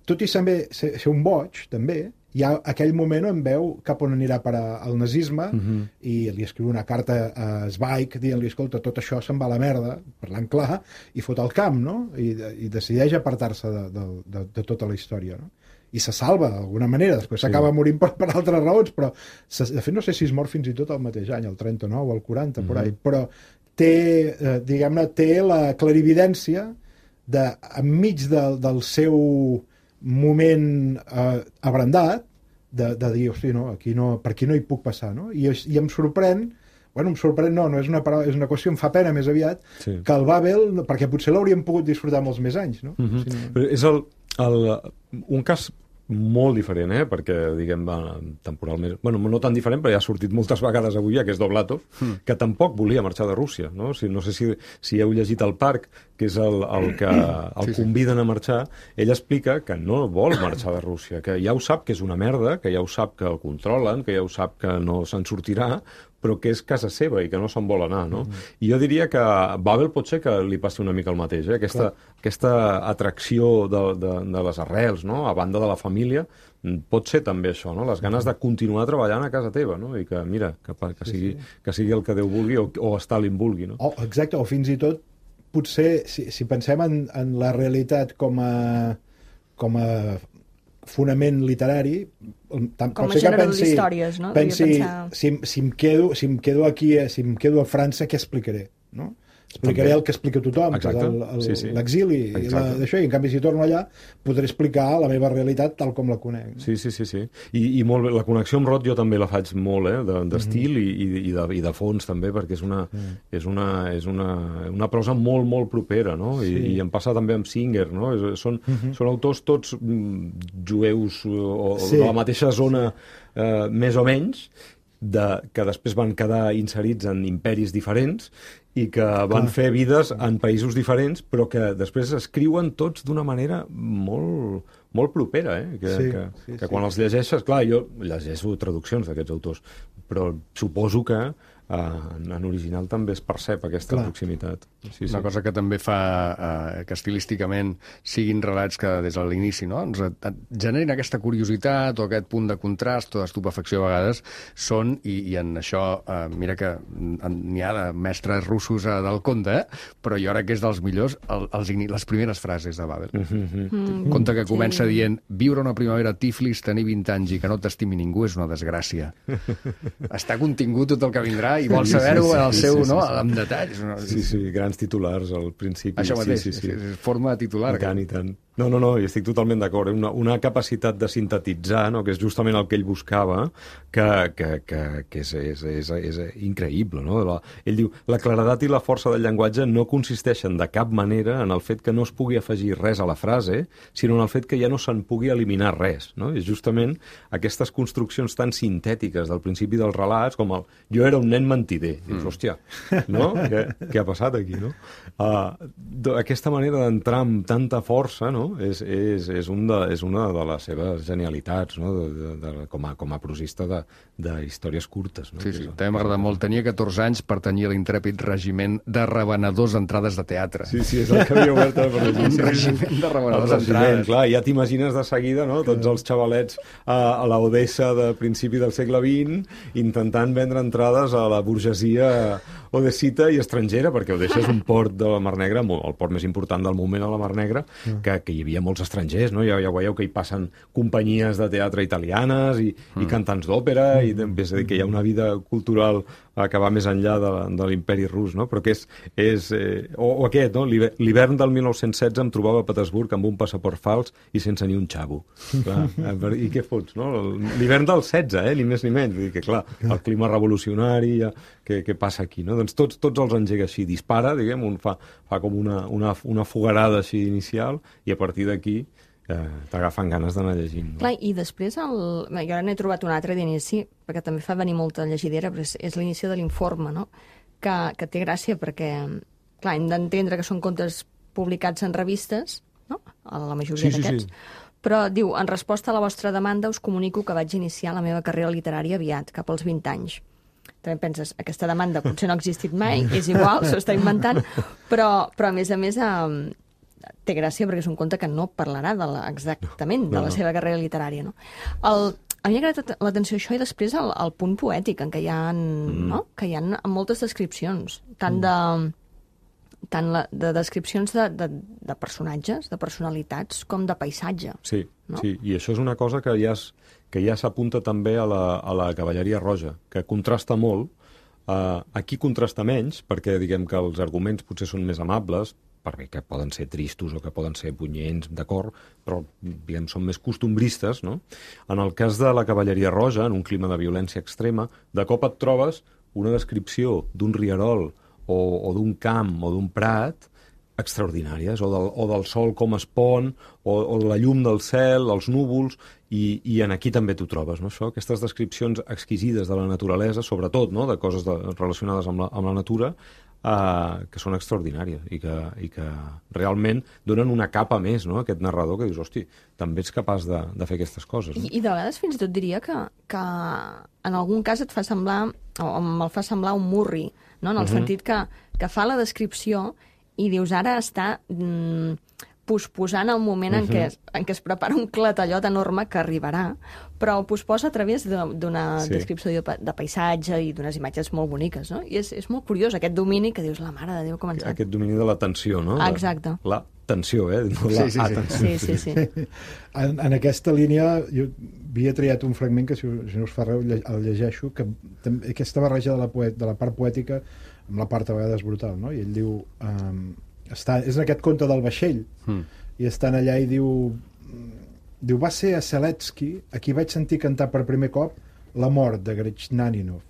tot i ser un boig, també, hi ha aquell moment on veu cap on anirà per al nazisme i li escriu una carta a Zweig dient-li, escolta, tot això se'n va a la merda, parlant clar, i fot el camp, no? I decideix apartar-se de tota la història, no? I se salva d'alguna manera, després s'acaba morint per altres raons, però de fet no sé si es mor fins i tot el mateix any, el 39 o el 40, por ahí, però té, diguem-ne, té la clarividència de, enmig del seu moment abrandat, de dir, hosti, no, per aquí no hi puc passar, no? I em sorprèn, bueno, no és una paraula, és una qüestió, em fa pena més aviat, que el Babel, perquè potser l'hauríem pogut disfrutar molts més anys, no? Però és un cas molt diferent, perquè, diguem, temporalment... Bueno, no tan diferent, però ja ha sortit moltes vegades avui, que és Dovlatov, que tampoc volia marxar de Rússia, no? No sé si heu llegit El Parc, que és el que el conviden a marxar. Ell explica que no vol marxar de Rússia, que ja ho sap que és una merda, que ja ho sap que el controlen, que ja ho sap que no se'n sortirà, però que és casa seva i que no se'n vol anar, no? I jo diria que a Babel pot ser que li passi una mica el mateix, aquesta atracció de les arrels, no? A banda de la família, pot ser també això, no? Les ganes de continuar treballant a casa teva, no? I que, mira, que sigui el que Déu vulgui o Stalin vulgui, no? Exacte, o fins i tot, potser, si pensem en la realitat com a fonament literari, com a generador d'històries, no? Pensi, si em quedo aquí, si em quedo a França, què explicaré, no? Explicaré el que explica tothom, que és l'exili i d'això, i en canvi si torno allà podré explicar la meva realitat tal com la conec. Sí. I molt bé, la connexió amb Roth jo també la faig molt, d'estil i de fons també, perquè és una prosa molt, molt propera, no? I em passa també amb Singer, no? Són autors tots jueus o de la mateixa zona més o menys, que després van quedar inserits en imperis diferents i que van fer vides en països diferents, però que després escriuen tots d'una manera molt, molt propera, que quan els llegeixes... Clar, jo llegeixo traduccions d'aquests autors, però suposo que en original també es percep aquesta proximitat. Una cosa que també fa que estilísticament siguin relats que des de l'inici, no? Ens generin aquesta curiositat o aquest punt de contrast o d'estupefacció a vegades són, i en això mira que n'hi ha de mestres russos del conte, però jo crec que és dels millors les primeres frases de Babel. Conte que comença dient: viure una primavera a Tiflis, tenir 20 anys i que no t'estimi ningú és una desgràcia. Està contingut tot el que vindrà i vol saber-ho en el seu, no? Amb detalls. Sí, grans titulars al principi. Això mateix, forma titular. I tant. No, i estic totalment d'acord. Una capacitat de sintetitzar, no? Que és justament el que ell buscava, que és increïble, no? Ell diu, la claredat i la força del llenguatge no consisteixen de cap manera en el fet que no es pugui afegir res a la frase, sinó en el fet que ja no se'n pugui eliminar res, no? És justament aquestes construccions tan sintètiques del principi dels relats, com el jo era un nen mentider. Dius, hòstia, no? Què ha passat aquí, no? Aquesta manera d'entrar amb tanta força, no? És una de les seves genialitats, no? Com a prosista de històries curtes. No? Sí, també m'agrada molt. Tenia 14 anys, pertanyia a l'intrèpid regiment de revenedors d'entrades de teatre. Sí, és el que havia obert a la un regiment de revenedors d'entrades. Clar, ja t'imagines de seguida, no? Tots els xavalets a l'Odessa de principi del segle XX intentant vendre entrades a la burgesia odessita i estrangera, perquè Odessa és un port de la Mar Negra, el port més important del moment a la Mar Negra, que hi havia molts estrangers, no? Ja veieu que hi passen companyies de teatre italianes i cantants d'òpera, i és a dir, que hi ha una vida cultural que va més enllà de l'imperi rus, no? Però que o aquest, no? L'hivern del 1916 em trobava a Petersburg amb un passaport fals i sense ni un xavo. Clar, i què fots, no? L'hivern del 16, ni més ni menys. Vull dir que, clar, el clima revolucionari, què passa aquí, no? Doncs tots els engega així, dispara, diguem, fa com una fogarada així inicial, i a partir d'aquí t'agafen ganes d'anar llegint. Clar, i després, jo ara n'he trobat un altre d'inici, perquè també fa venir molta llegidera, però és l'inici de l'Informe, no? Que té gràcia perquè, clar, hem d'entendre que són contes publicats en revistes, no? A la majoria d'aquests. Però diu, en resposta a la vostra demanda us comunico que vaig iniciar la meva carrera literària aviat, cap als 20 anys. també penses, aquesta demanda potser no ha existit mai, és igual, s'ho està inventant, però a més, té gràcia perquè és un conte que no parlarà exactament de la seva carrera literària. No? A mi m'ha agradat l'atenció això i després el punt poètic en què hi ha, no? Que hi ha moltes descripcions, tant de descripcions de personatges, de personalitats, com de paisatge. Sí, no? Sí, i això és una cosa que ja s'apunta també a la cavalleria roja, que contrasta molt. Aquí contrasta menys, perquè diguem que els arguments potser són més amables, perquè poden ser tristos o que poden ser punyents, d'acord, però diguem, són més costumbristes, no? En el cas de la cavalleria roja, en un clima de violència extrema, de cop et trobes una descripció d'un rierol o d'un camp o d'un prat extraordinàries, o del sol com es pon, o la llum del cel, els núvols, i en aquí també t'ho trobes, no? Això, aquestes descripcions exquisides de la naturalesa, sobretot, no? De coses relacionades amb la natura, que són extraordinàries i que realment donen una capa més, no? Aquest narrador que dius, hosti, també ets capaç de fer aquestes coses. No? I de vegades fins i tot diria que en algun cas et fa semblar, o me'l fa semblar un murri, no? En el sentit que fa la descripció i dius, ara està posposant el moment en què es prepara un clatallot enorme que arribarà, però ho posposa a través d'una descripció de paisatge i d'unes imatges molt boniques, no? I és molt curiós aquest domini que dius, la mare de Déu, com ens... Aquest domini de la tensió, no? Exacte. La tensió, no la atenció. Sí. En aquesta línia, jo havia triat un fragment que, si no us fa res, el llegeixo, que aquesta barreja de la part poètica amb la part a vegades brutal, no? I ell diu... és en aquest conte del vaixell, i estan allà i diu, va ser a Seletsky a qui vaig sentir cantar per primer cop la mort de Gretchaninov.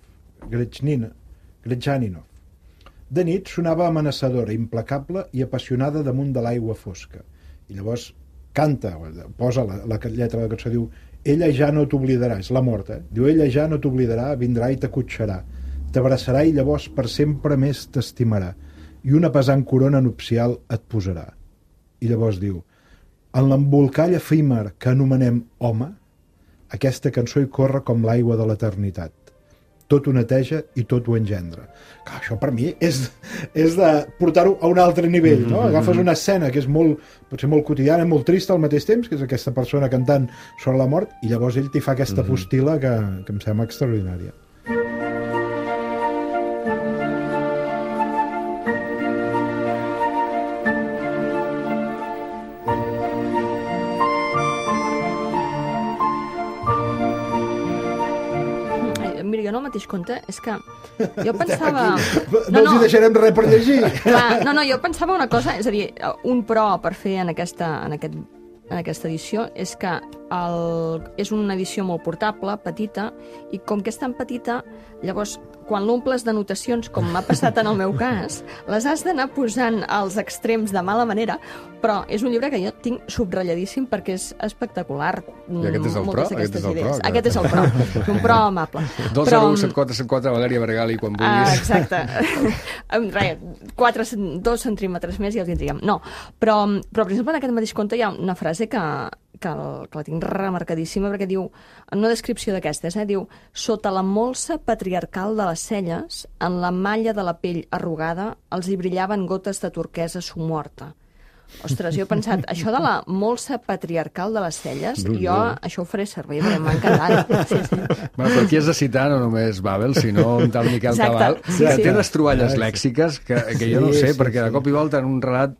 De nit sonava amenaçadora, implacable i apassionada damunt de l'aigua fosca. I llavors canta, posa la lletra de la cançó, diu, ella ja no t'oblidarà, és la mort, diu, ella ja no t'oblidarà, vindrà i t'acotxarà, t'abraçarà i llavors per sempre més t'estimarà, i una pesant corona nupcial et posarà. I llavors diu, en l'embolcall efímer que anomenem home, aquesta cançó hi corre com l'aigua de l'eternitat. Tot ho neteja i tot ho engendra. Clar, això per mi és de portar-ho a un altre nivell, no? Agafes una escena que és potser molt quotidiana, molt trista al mateix temps, que és aquesta persona cantant sobre la mort, i llavors ell t'hi fa aquesta postila que em sembla extraordinària. Mira, jo en el mateix conte és que jo pensava... No els hi deixarem res per llegir. Clar, no, jo pensava una cosa, és a dir, un pro per fer en aquesta edició és que és una edició molt portable, petita, i com que és tan petita, llavors, quan l'omples d'anotacions, com m'ha passat en el meu cas, les has d'anar posant als extrems de mala manera, però és un llibre que jo tinc subratlladíssim perquè és espectacular. I aquest és el pro? Aquest és el pro. És un pro amable. 2017474, Valèria Bargali, quan vulguis. Exacte. Res, 2 centímetres més i els tindríem. No, però per exemple, en aquest mateix conte hi ha una frase que la tinc remarcadíssima, perquè diu, en una descripció d'aquestes, diu, sota la molsa patriarcal de les celles, en la malla de la pell arrugada, els hi brillaven gotes de turquesa somorta. Ostres, jo he pensat, això de la molsa patriarcal de les celles, jo això ho faré servir, perquè m'ha encantat. Sí. Bueno, però aquí has de citar no només Babel, sinó un tal Miquel Cabal, que té unes troballes lèxiques que jo no sé, perquè de cop i volta en un relat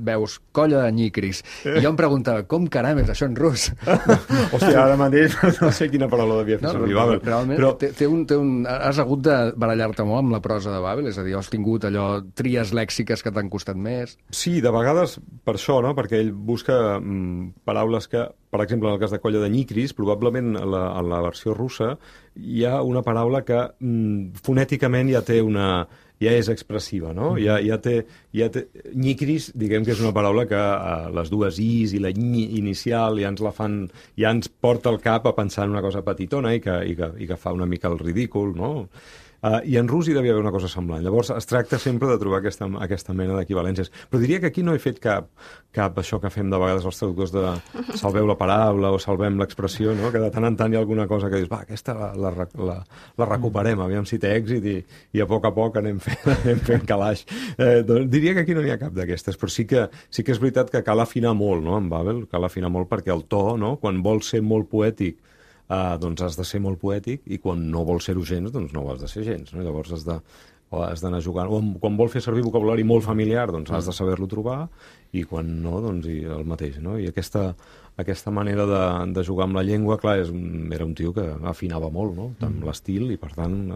veus colla de nyicris. I jo em preguntava, com caram és això en rus? Hòstia, ara mateix no sé quina paraula devia fer servir Babel. Realment, has hagut de barallar-te molt amb la prosa de Babel? És a dir, has tingut allò tries lèxiques que t'han costat més? Sí, de vegades per això, no? Perquè ell busca paraules que, per exemple, en el cas de colla de nyicris, probablement en la versió russa hi ha una paraula que fonèticament ja és expressiva, no? Ja té nyicris, diguem que és una paraula que les dues is i la nyi inicial ja ens porta al cap a pensar en una cosa petitona i que fa una mica el ridícul, no? I en rus hi devia haver una cosa semblant. Llavors es tracta sempre de trobar aquesta mena d'equivalències. Però diria que aquí no he fet cap això que fem de vegades els traductors de salveu la paraula o salvem l'expressió, no? Que de tant en tant hi ha alguna cosa que dius, va, aquesta la recuperem, aviam si té èxit i a poc anem fent calaix. Doncs diria que aquí no n'hi ha cap d'aquestes, però sí que és veritat que cal afinar molt, no? En Babel cal afinar molt perquè el to, no? Quan vols ser molt poètic, doncs has de ser molt poètic, i quan no vols ser-ho gens, doncs no ho has de ser gens, no? Llavors has d'anar jugant. O quan vols fer servir vocabulari molt familiar, doncs has de saber-lo trobar, i quan no, doncs el mateix, no? I aquesta manera de jugar amb la llengua, clar, era un tio que afinava molt, no? Amb l'estil i, per tant,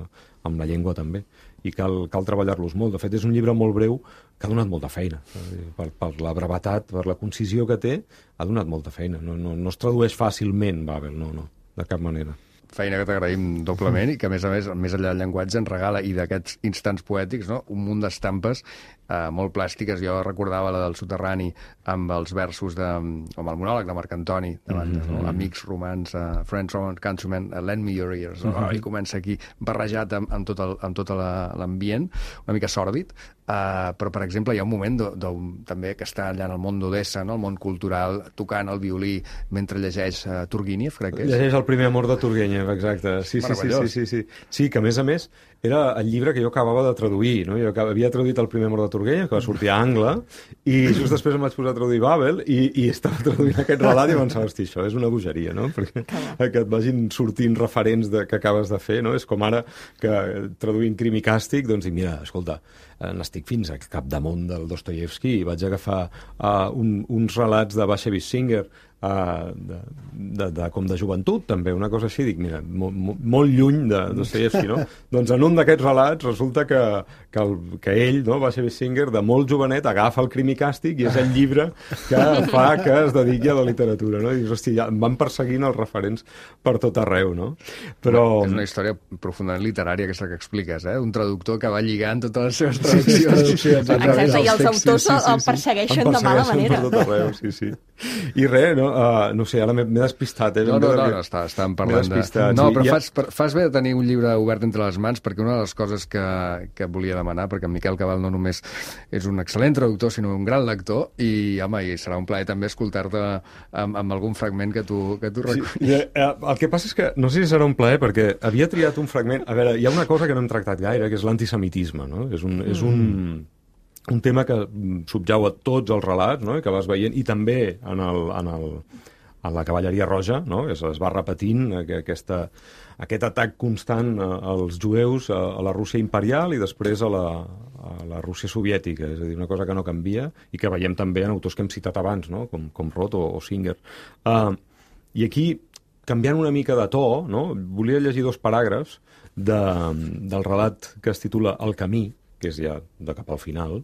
amb la llengua també. I cal treballar-los molt. De fet, és un llibre molt breu que ha donat molta feina. Per la brevetat, per la concisió que té, ha donat molta feina. No es tradueix fàcilment, Babel, no, de cap manera. Feina que t'agraïm doblement i que, a més, més enllà del llenguatge, ens regala, i d'aquests instants poètics, no? Un munt d'estampes molt plàstiques. Jo recordava la del Soterrani amb els versos com el monòleg de Marc Antoni, amics romans, friends romans, countrymen, lend me your ears. I comença aquí barrejat amb tot l'ambient, una mica sòrdid. Però, per exemple, hi ha un moment també que està allà en el món d'Odessa, no? El món cultural, tocant el violí mentre llegeix Turgenev, crec que és. Llegeix El primer amor de Turgenev, exacte. Sí. Sí, que a més era el llibre que jo acabava de traduir, no? Jo havia traduït El primer amor de Turgenev, que va sortir a Angle, i just després em vaig posar a traduir Babel, i estava traduint aquest relat i pensava, hosti, això és una bogeria, no? Perquè que et vagin sortint referents que acabes de fer, no? És com ara que traduint Crim i Càstig, doncs dic, mira, escolta, n'estic fins a capdamunt del Dostoievski i vaig agafar uns relats de Bashevis Singer, com de joventut, també, una cosa així, dic, mira, molt lluny de Dostoievski, no? Doncs en un d'aquests relats resulta que ell, no, Bashevis Singer, de molt jovenet, agafa el Crim i Càstig i és el llibre que fa que es dediqui a la literatura, no? I dius, hosti, ja em van perseguint els referents per tot arreu, no? Però... És una història profundament literària, aquesta que expliques, un traductor que va lligant totes les seves traduccions. Exacte, i els autors el persegueixen de mala manera. Per tot arreu, sí. I res, no sé, ara m'he despistat. No, estàvem parlant de... No, però fas bé de tenir un llibre obert entre les mans, perquè una de les coses que volia demanar, perquè en Miquel Cabal no només és un excel·lent traductor, sinó un gran lector, i, home, serà un plaer també escoltar-te amb algun fragment que tu recullis. El que passa és que, no sé si serà un plaer, perquè havia triat un fragment... A veure, hi ha una cosa que no hem tractat gaire, que és l'antisemitisme, no? És un tema que subjau a tots els relats, no? I que vas veient, i també en la cavalleria roja, no? Es va repetint aquest atac constant als jueus a la Rússia imperial i després a la Rússia soviètica, és a dir, una cosa que no canvia i que veiem també en autors que hem citat abans, no? Com Roth o Singer. I aquí, canviant una mica de to, no? Volia llegir 2 paràgrafs del relat que es titula El camí, que és ja de cap al final,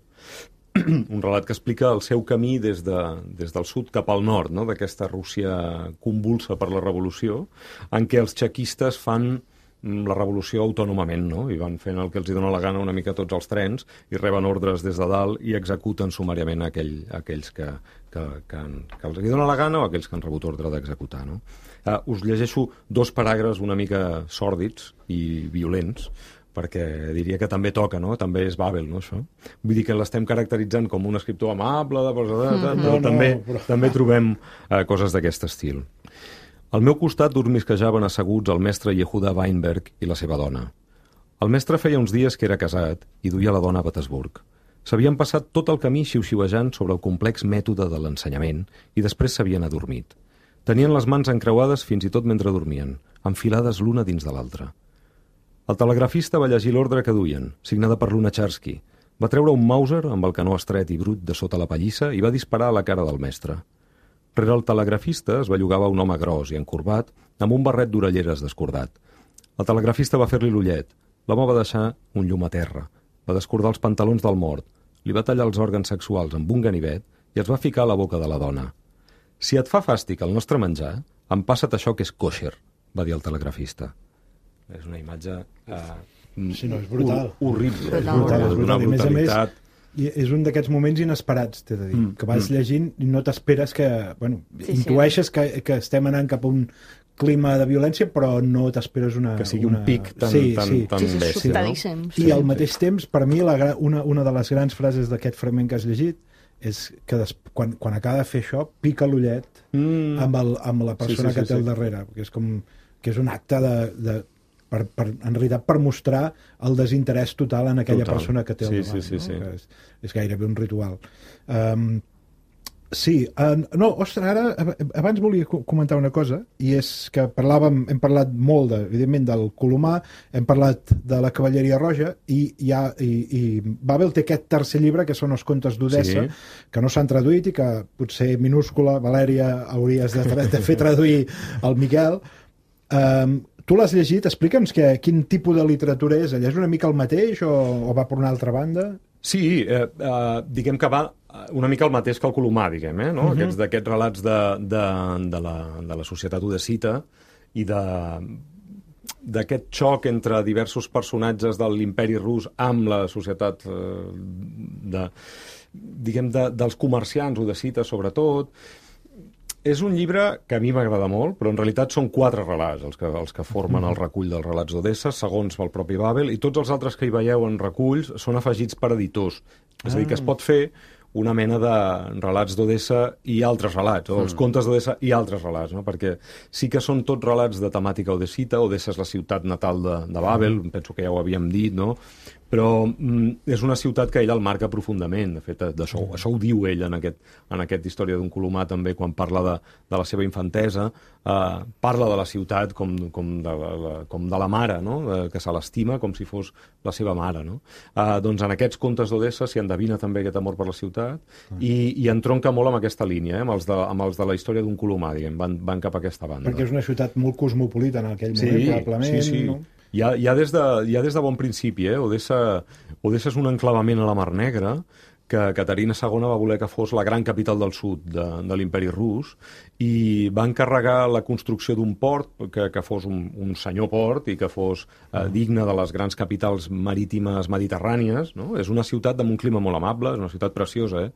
un relat que explica el seu camí des del sud cap al nord, no? D'aquesta Rússia convulsa per la revolució, en què els txequistes fan la revolució autònomament, no? I van fent el que els hi dona la gana una mica tots els trens i reben ordres des de dalt i executen sumàriament aquells que els hi dona la gana o aquells que han rebut ordre d'executar, no? Us llegeixo 2 paràgrafs una mica sòrdids i violents, perquè diria que també toca, no? També és Babel, no, això? Vull dir que l'estem caracteritzant com un escriptor amable, però també trobem coses d'aquest estil. Al meu costat dormisquejaven asseguts el mestre Yehuda Weinberg i la seva dona. El mestre feia uns dies que era casat i duia la dona a Petersburg. S'havien passat tot el camí xiu-xiuejant sobre el complex mètode de l'ensenyament i després s'havien adormit. Tenien les mans encreuades fins i tot mentre dormien, enfilades l'una dins de l'altra. El telegrafista va llegir l'ordre que duien, signada per Lunacharsky. Va treure un Mauser amb el canó estret i brut de sota la pallissa i va disparar a la cara del mestre. Rere el telegrafista es bellugava un home gros i encorbat amb un barret d'orelleres descordat. El telegrafista va fer-li l'ullet. L'home va deixar un llum a terra. Va descordar els pantalons del mort. Li va tallar els òrgans sexuals amb un ganivet i els va ficar a la boca de la dona. Si et fa fàstic el nostre menjar, empassa't això que és kosher, va dir el telegrafista. És una imatge sí, no, és brutal. Horrible. És brutal. I a més, és un d'aquests moments inesperats, t'he de dir, que vas llegint i no t'esperes que... Bueno, intueixes que estem anant cap clima de violència, però no t'esperes que sigui un pic tan bèstia. Sobtadíssim. I al mateix temps, per mi, una de les grans frases d'aquest fragment que has llegit és que quan acaba de fer això, pica l'ullet amb la persona que té al darrere, que és un acte en realitat per mostrar el desinterès total en aquella persona que té al davant. Sí. És gairebé un ritual. Ostres, ara abans volia comentar una cosa, i és que hem parlat molt, evidentment, del Colomar, hem parlat de la Cavalleria Roja, i Babel té aquest tercer llibre, que són els contes d'Odessa, que no s'han traduït i que potser minúscula, Valèria, hauries de fer traduir al Miquel. Tu l'has llegit, explica'ns quin tipus de literatura és. És una mica el mateix o va per una altra banda? Sí, diguem que va una mica el mateix que el Colomar, diguem, no? D'aquests relats de la societat odessita i d'aquest xoc entre diversos personatges de l'imperi rus amb la societat dels comerciants odessites, sobretot. És un llibre que a mi m'agrada molt, però en realitat són 4 relats els que formen el recull dels relats d'Odessa, segons el propi Babel, i tots els altres que hi veieu en reculls són afegits per editors. És a dir, que es pot fer una mena de relats d'Odessa i altres relats, o els contes d'Odessa i altres relats, no? Perquè sí que són tots relats de temàtica odessita. Odessa és la ciutat natal de Babel, penso que ja ho havíem dit, no? Però és una ciutat que ell el marca profundament. De fet, això ho diu ell en aquest Història d'un Colomar també, quan parla de la seva infantesa. Parla de la ciutat com de la mare, no? Que se l'estima com si fos la seva mare, no? Doncs en aquests contes d'Odessa s'hi endevina també aquest amor per la ciutat i entronca molt amb aquesta línia, amb els de la Història d'un Colomar, diguem, van cap a aquesta banda. Perquè és una ciutat molt cosmopolita en aquell moment, probablement. Sí. No? Ja des de bon principi, Odessa és un enclavament a la Mar Negra que Caterina II va voler que fos la gran capital del sud de l'imperi rus, i va encarregar la construcció d'un port que fos un senyor port i que fos digne de les grans capitals marítimes mediterrànies, no? És una ciutat amb un clima molt amable, és una ciutat preciosa,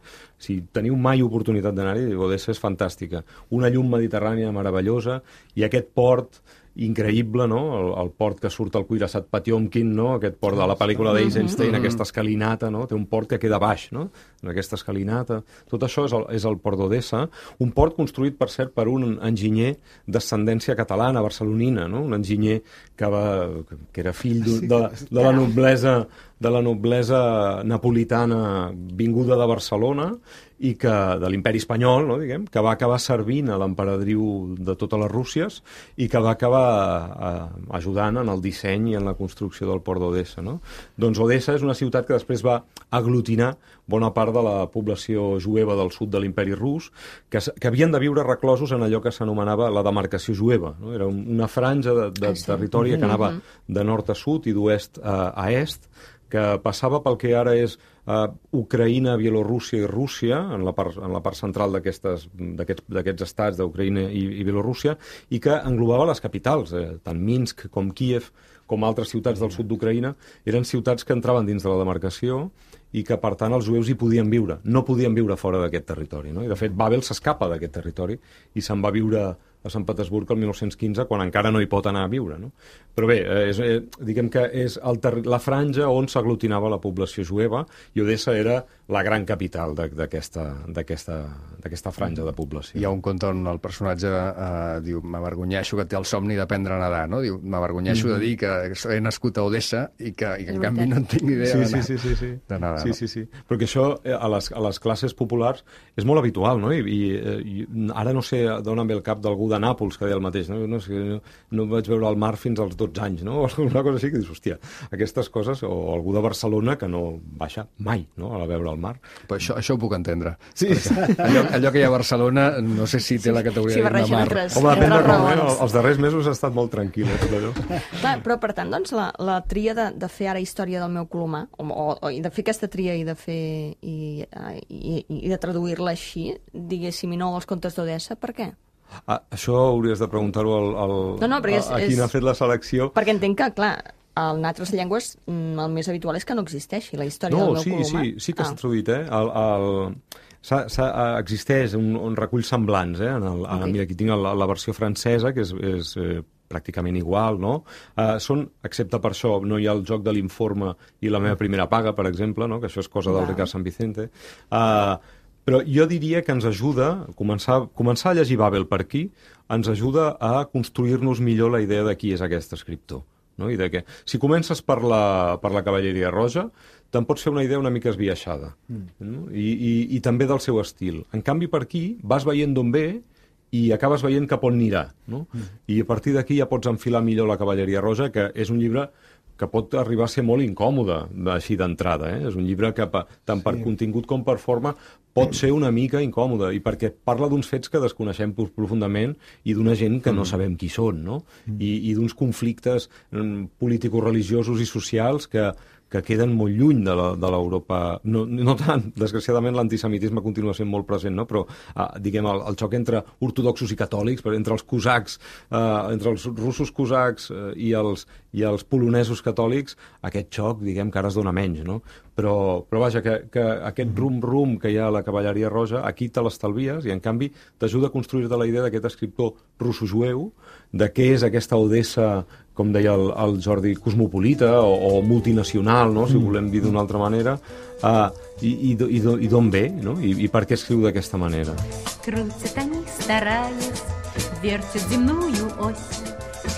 Si teniu mai oportunitat d'anar-hi, Odessa és fantàstica. Una llum mediterrània meravellosa, i aquest port increïble, no? El port que surt al Cuirassat Patiomkin, no? Aquest port de la pel·lícula d'Eisenstein, aquesta escalinata, no? Té un port que queda baix, no? En aquesta escalinata. Tot això és el port d'Odessa, un port construït, per cert, per un enginyer d'ascendència catalana, barcelonina, no? Un enginyer que era fill de la noblesa napolitana vinguda de Barcelona i de l'imperi espanyol, no, diguem, que va acabar servint a l'emperadriu de totes les Rússies i que va acabar ajudant en el disseny i en la construcció del port d'Odessa, no? Doncs Odessa és una ciutat que després va aglutinar bona part de la població jueva del sud de l'imperi rus, que havien de viure reclosos en allò que s'anomenava la demarcació jueva, no? Era una franja de territori que anava de nord a sud i d'oest a est, que passava pel que ara és Ucraïna, Bielorússia i Rússia, en la part central d'aquests estats d'Ucraïna i Bielorússia, i que englobava les capitals, tant Minsk com Kíev, com altres ciutats del sud d'Ucraïna, eren ciutats que entraven dins de la demarcació i que, per tant, els jueus hi podien viure. No podien viure fora d'aquest territori, no? I, de fet, Babel s'escapa d'aquest territori i se'n va viure a Sant Petersburg el 1915, quan encara no hi pot anar a viure, no? Però bé, diguem que és la franja on s'aglutinava la població jueva, i Odessa era la gran capital d'aquesta franja de població. Hi ha un conte on el personatge diu: m'avergonyeixo, que té el somni d'aprendre a nedar, no? Diu: m'avergonyeixo de dir que he nascut a Odessa i que en canvi no en tinc idea de nedar. Sí. Però que això a les classes populars és molt habitual, no? I ara no sé d'on em ve el cap d'algú de Nàpols que deia el mateix, no? No vaig veure el mar fins als 12 anys, no? O alguna cosa així, que dius, hòstia, aquestes coses, o algú de Barcelona que no baixa mai, no?, a veure el mar. Però això ho puc entendre. Sí. Allò que hi ha a Barcelona, no sé si té la categoria de mar. Home, depèn de raons. Els darrers mesos ha estat molt tranquil, tot allò. Clar, però per tant, doncs, la tria de fer ara Història del meu Colomar, o de fer aquesta tria i de fer i de traduir-la així, diguéssim, i no els contes d'Odessa, per què? Això hauries de preguntar-ho a qui n'ha fet la selecció. Perquè entenc que, clar, en altres llengües el més habitual és que no existeixi la història del meu Colomar. Sí que s'ha traduït, existeix un recull semblants, mira, aquí tinc la versió francesa, que és pràcticament igual, no? Excepte per això, no hi ha el joc de l'informe i la meva primera paga, per exemple, no? Que això és cosa del Ricard San Vicente. Però jo diria que ens ajuda, començar a llegir Babel per aquí, ens ajuda a construir-nos millor la idea de qui és aquest escriptor. No? I de que, si comences per la Cavalleria Roja, te'n pots fer una idea una mica esbiaixada. No? I també del seu estil. En canvi, per aquí vas veient d'on ve i acabes veient cap on anirà. No? I a partir d'aquí ja pots enfilar millor la Cavalleria Roja, que és un llibre que pot arribar a ser molt incòmode així d'entrada. És un llibre que tant per contingut com per forma pot ser una mica incòmode, i perquè parla d'uns fets que desconeixem profundament i d'una gent que no sabem qui són, no? I d'uns conflictes político-religiosos i socials que queden molt lluny de l'Europa. No tant, desgraciadament l'antisemitisme continua sent molt present, no? Però diguem, el xoc entre ortodoxos i catòlics, entre els cosacs, entre els russos cosacs i els polonesos catòlics, aquest xoc, diguem, que ara es dona menys, no? Però vaja, que aquest rum-rum que hi ha a la Cavalleria Roja, aquí te l'estalvies i, en canvi, t'ajuda a construir-te la idea d'aquest escriptor russo-jueu, de què és aquesta Odessa, com deia el Jordi, cosmopolita o multinacional, no? Si volem dir d'una altra manera, i d'on ve, no? I per què escriu d'aquesta manera. Крутят они, стараясь, вертят земную ось,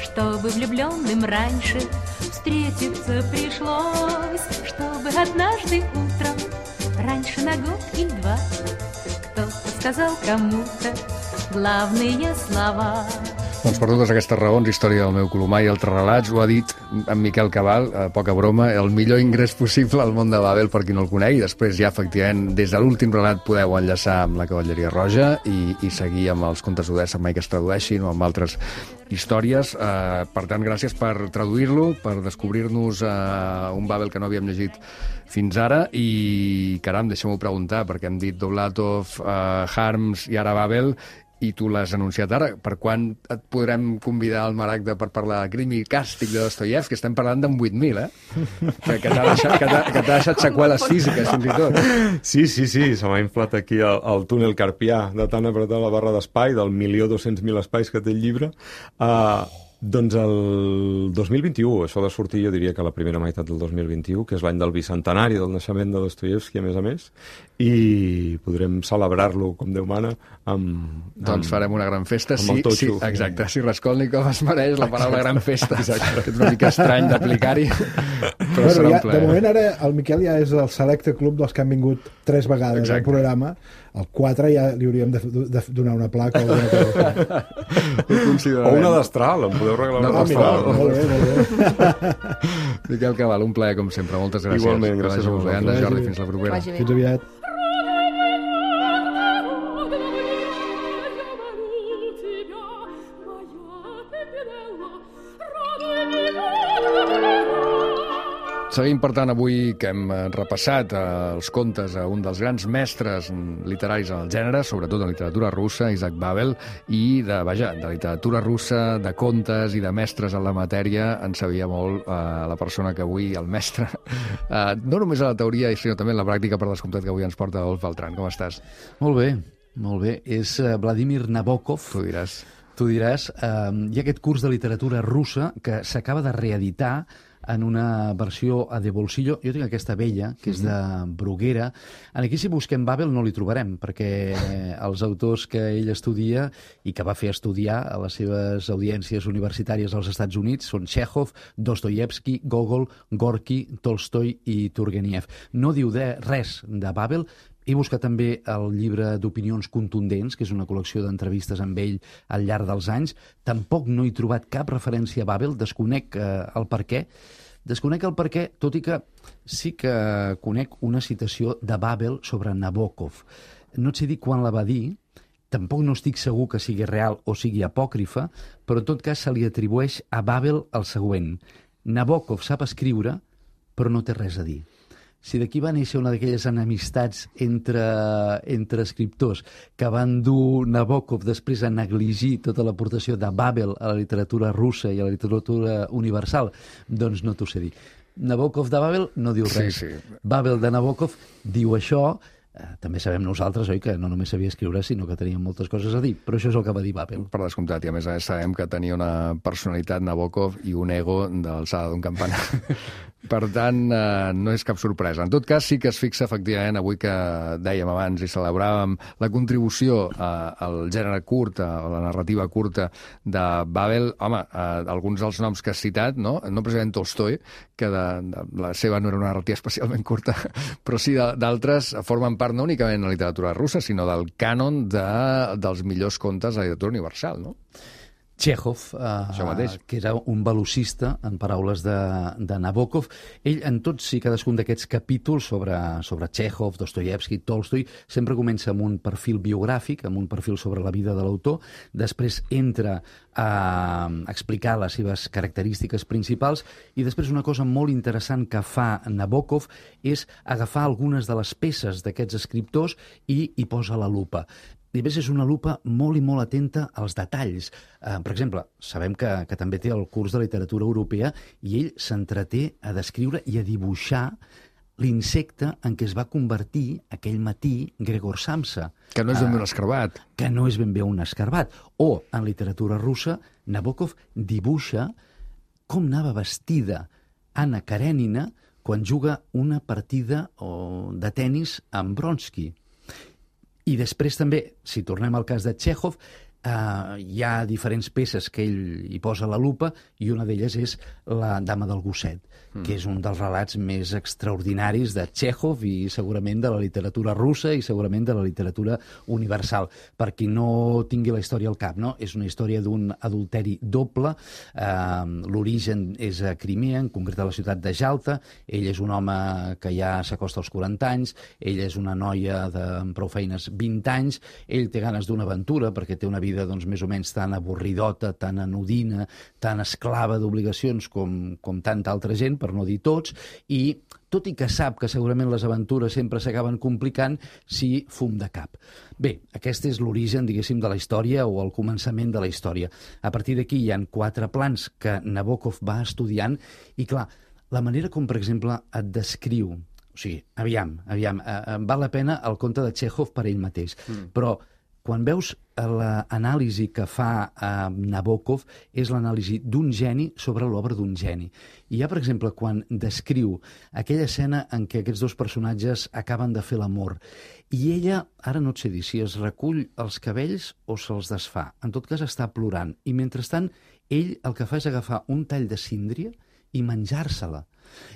чтобы влюбленным раньше встретиться пришлось, чтобы однажды утром, раньше на год или два, кто-то сказал кому-то главные слова. Doncs per totes aquestes raons, Història del meu Colomar i altres relats, ho ha dit en Miquel Cabal, poca broma, el millor ingrés possible al món de Babel per qui no el coneix, i després ja, efectivament, des de l'últim relat podeu enllaçar amb la Cavalleria Roja i seguir amb els contes d'Odessa mai que es tradueixin o amb altres històries. Per tant, gràcies per traduir-lo, per descobrir-nos un Babel que no havíem llegit fins ara, i caram, deixem-ho preguntar, perquè hem dit Dovlatov, Harms i ara Babel, i tu l'has anunciat ara. Per quan et podrem convidar al Maragda per parlar de Crim i Càstig de Dostoievski? Estem parlant d'en 8.000, que t'ha deixat seqüeles físiques, fins i tot. Sí, se m'ha inflat aquí el túnel carpià de tant apretar la barra d'espai, del 1.200.000 espais que té el llibre. Doncs el 2021, això ha de sortir, jo diria que la primera meitat del 2021, que és l'any del bicentenari del naixement de Dostoievski, a més, i podrem celebrar-lo, com Déu mana, doncs farem una gran festa. Amb el totxo. Exacte, si Raskolnikov es mereix la paraula gran festa. Exacte. Que és una mica estrany d'aplicar-hi, però serà un plaer. De moment, ara, el Miquel ja és el selecte club dels que han vingut 3 vegades al programa. El 4 ja li hauríem de donar una placa o una destral, em podeu regalar una destral. Molt bé. Miquel Cabal, un plaer com sempre, moltes gràcies. Igualment, gràcies a vosaltres. Jordi, fins la propera. Fins aviat. Seguim, per tant, avui que hem repassat els contes a un dels grans mestres literaris en el gènere, sobretot en literatura russa, Isaac Babel, i de literatura russa, de contes i de mestres en la matèria, en sabia molt la persona que avui, el mestre, no només a la teoria, sinó també en la pràctica, per descomptat, que avui ens porta Adolf Beltran. Com estàs? Molt bé. És Vladimir Nabokov. Tu diràs. Hi ha aquest curs de literatura russa que s'acaba de reeditar en una versió a de bolsillo. Jo tinc aquesta vella, que és de Bruguera. Aquí, si busquem Babel, no li trobarem, perquè els autors que ell estudia i que va fer estudiar a les seves audiències universitàries als Estats Units són Chekhov, Dostoievski, Gogol, Gorky, Tolstoi i Turgeniev. No diu res de Babel. He buscat també el llibre d'opinions contundents, que és una col·lecció d'entrevistes amb ell al llarg dels anys. Tampoc no he trobat cap referència a Babel, desconec el per què. Tot i que sí que conec una citació de Babel sobre Nabokov. No et sé dir quan la va dir, tampoc no estic segur que sigui real o sigui apòcrifa, però en tot cas se li atribueix a Babel el següent: Nabokov sap escriure, però no té res a dir. Si d'aquí va néixer una d'aquelles enemistats entre escriptors que van dur Nabokov després a negligir tota l'aportació de Babel a la literatura russa i a la literatura universal, doncs no t'ho sé dir. Nabokov de Babel no diu res. Sí. Babel de Nabokov diu això. També sabem nosaltres, oi, que no només sabia escriure, sinó que tenia moltes coses a dir. Però això és el que va dir Babel. Per descomptat, i a més sabem que tenia una personalitat, Nabokov, i un ego de l'alçada d'un campanar. Per tant, no és cap sorpresa. En tot cas, sí que es fixa, efectivament, avui que dèiem abans i celebràvem la contribució al gènere curt, a la narrativa curta de Babel. Home, alguns dels noms que has citat, no precisament Tolstoi, que la seva no era una narrativa especialment curta, però sí d'altres formen part no únicament de la literatura russa, sinó del cànon dels millors contes de la literatura universal, no? Txékhov, que era un velocista, en paraules de Nabokov. Ell, en tots i cadascun d'aquests capítols sobre Txékhov, Dostoievski, Tolstoi, sempre comença amb un perfil biogràfic, amb un perfil sobre la vida de l'autor, després entra a explicar les seves característiques principals i després una cosa molt interessant que fa Nabokov és agafar algunes de les peces d'aquests escriptors i hi posa la lupa. I a més és una lupa molt i molt atenta als detalls. Per exemple, sabem que també té el curs de literatura europea i ell s'entreté a descriure i a dibuixar l'insecte en què es va convertir aquell matí Gregor Samsa. Que no és ben bé un escarbat. Que no és ben bé un escarbat. O, en literatura russa, Nabokov dibuixa com anava vestida Anna Karenina quan juga una partida de tennis amb Bronsky. I després també, si tornem al cas de Txékhov, hi ha diferents peces que ell hi posa la lupa i una d'elles és La dama del gosset, que és un dels relats més extraordinaris de Txékhov i segurament de la literatura russa i segurament de la literatura universal. Per qui no tingui la història al cap, no? És una història d'un adulteri doble. L'origen és a Crimea, en concret a la ciutat de Jalta. Ell és un home que ja s'acosta als 40 anys, ella és una noia amb prou feines 20 anys, ell té ganes d'una aventura perquè té una vida doncs, més o menys tan avorridota, tan anodina, tan esclava d'obligacions com tanta altra gent, per no dir tots, i tot i que sap que segurament les aventures sempre s'acaben complicant, sí, fum de cap. Bé, aquest és l'origen, diguéssim, de la història o el començament de la història. A partir d'aquí hi ha 4 plans que Nabokov va estudiant i, clar, la manera com, per exemple, et descriu... O sigui, aviam, val la pena el conte de Txékhov per ell mateix, però quan veus l'anàlisi que fa Nabokov és l'anàlisi d'un geni sobre l'obra d'un geni. I hi ha, per exemple, quan descriu aquella escena en què aquests dos personatges acaben de fer l'amor i ella, ara no et sé dir si es recull els cabells o se'ls desfà, en tot cas està plorant, i mentrestant ell el que fa és agafar un tall de síndria i menjar-se-la.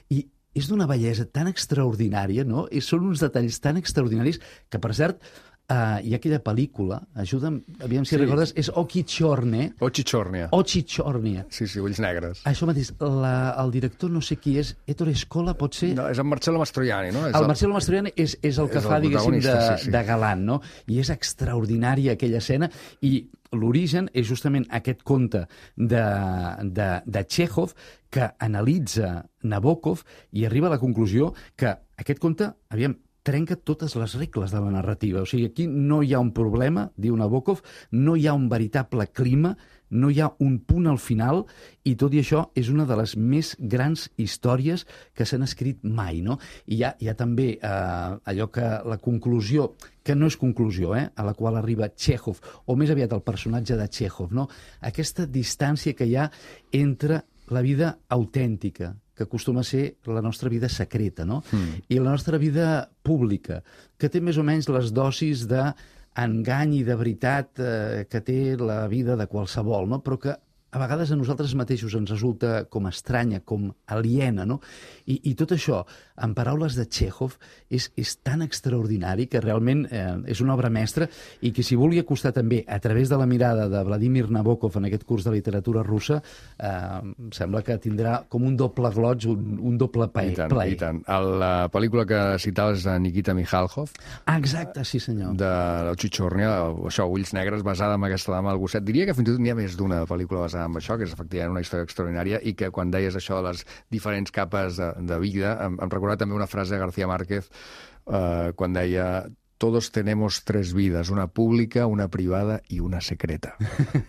I és d'una bellesa tan extraordinària, no? I són uns detalls tan extraordinaris que, per cert, hi ha aquella pel·lícula, ajuda'm, aviam si recordes, és Ochi Chorne. Ochi Chornia. Ochi Chornia. Sí, ulls negres. Això mateix, el director no sé qui és, Ettore Scola, pot ser? No, és en Marcello Mastroianni, no? El Marcello Mastroianni és el que fa, diguéssim, de galant, no? I és extraordinària aquella escena, i l'origen és justament aquest conte de Txékhov que analitza Nabokov i arriba a la conclusió que aquest conte, aviam, trenca totes les regles de la narrativa. O sigui, aquí no hi ha un problema, diu Nabokov, no hi ha un veritable clima, no hi ha un punt al final, i tot i això és una de les més grans històries que s'han escrit mai, no? I hi ha també allò que la conclusió, que no és conclusió, a la qual arriba Txékhov, o més aviat el personatge de Txékhov, no? Aquesta distància que hi ha entre la vida autèntica, que acostuma a ser la nostra vida secreta, no? I la nostra vida pública, que té més o menys les dosis d'engany i de veritat que té la vida de qualsevol, no? Però que a vegades a nosaltres mateixos ens resulta com estranya, com aliena, no? I tot això, en paraules de Txékhov, és tan extraordinari que realment és una obra mestra i que si vulgui acostar també a través de la mirada de Vladimir Nabokov en aquest curs de literatura russa, sembla que tindrà com un doble gloig, un doble plaer. I tant. La pel·lícula que citaves de Nikita Mikhalkov. Exacte, sí senyor. De l'Ochi Chornia, això, Ulls negres, basada en aquesta dama del gosset. Diria que fins i tot n'hi ha més d'una pel·lícula basada amb això, que és efectivament una història extraordinària i que quan deies això de les diferents capes de vida, em recordava també una frase de García Márquez quan deia todos tenemos tres vidas, una pública, una privada i una secreta.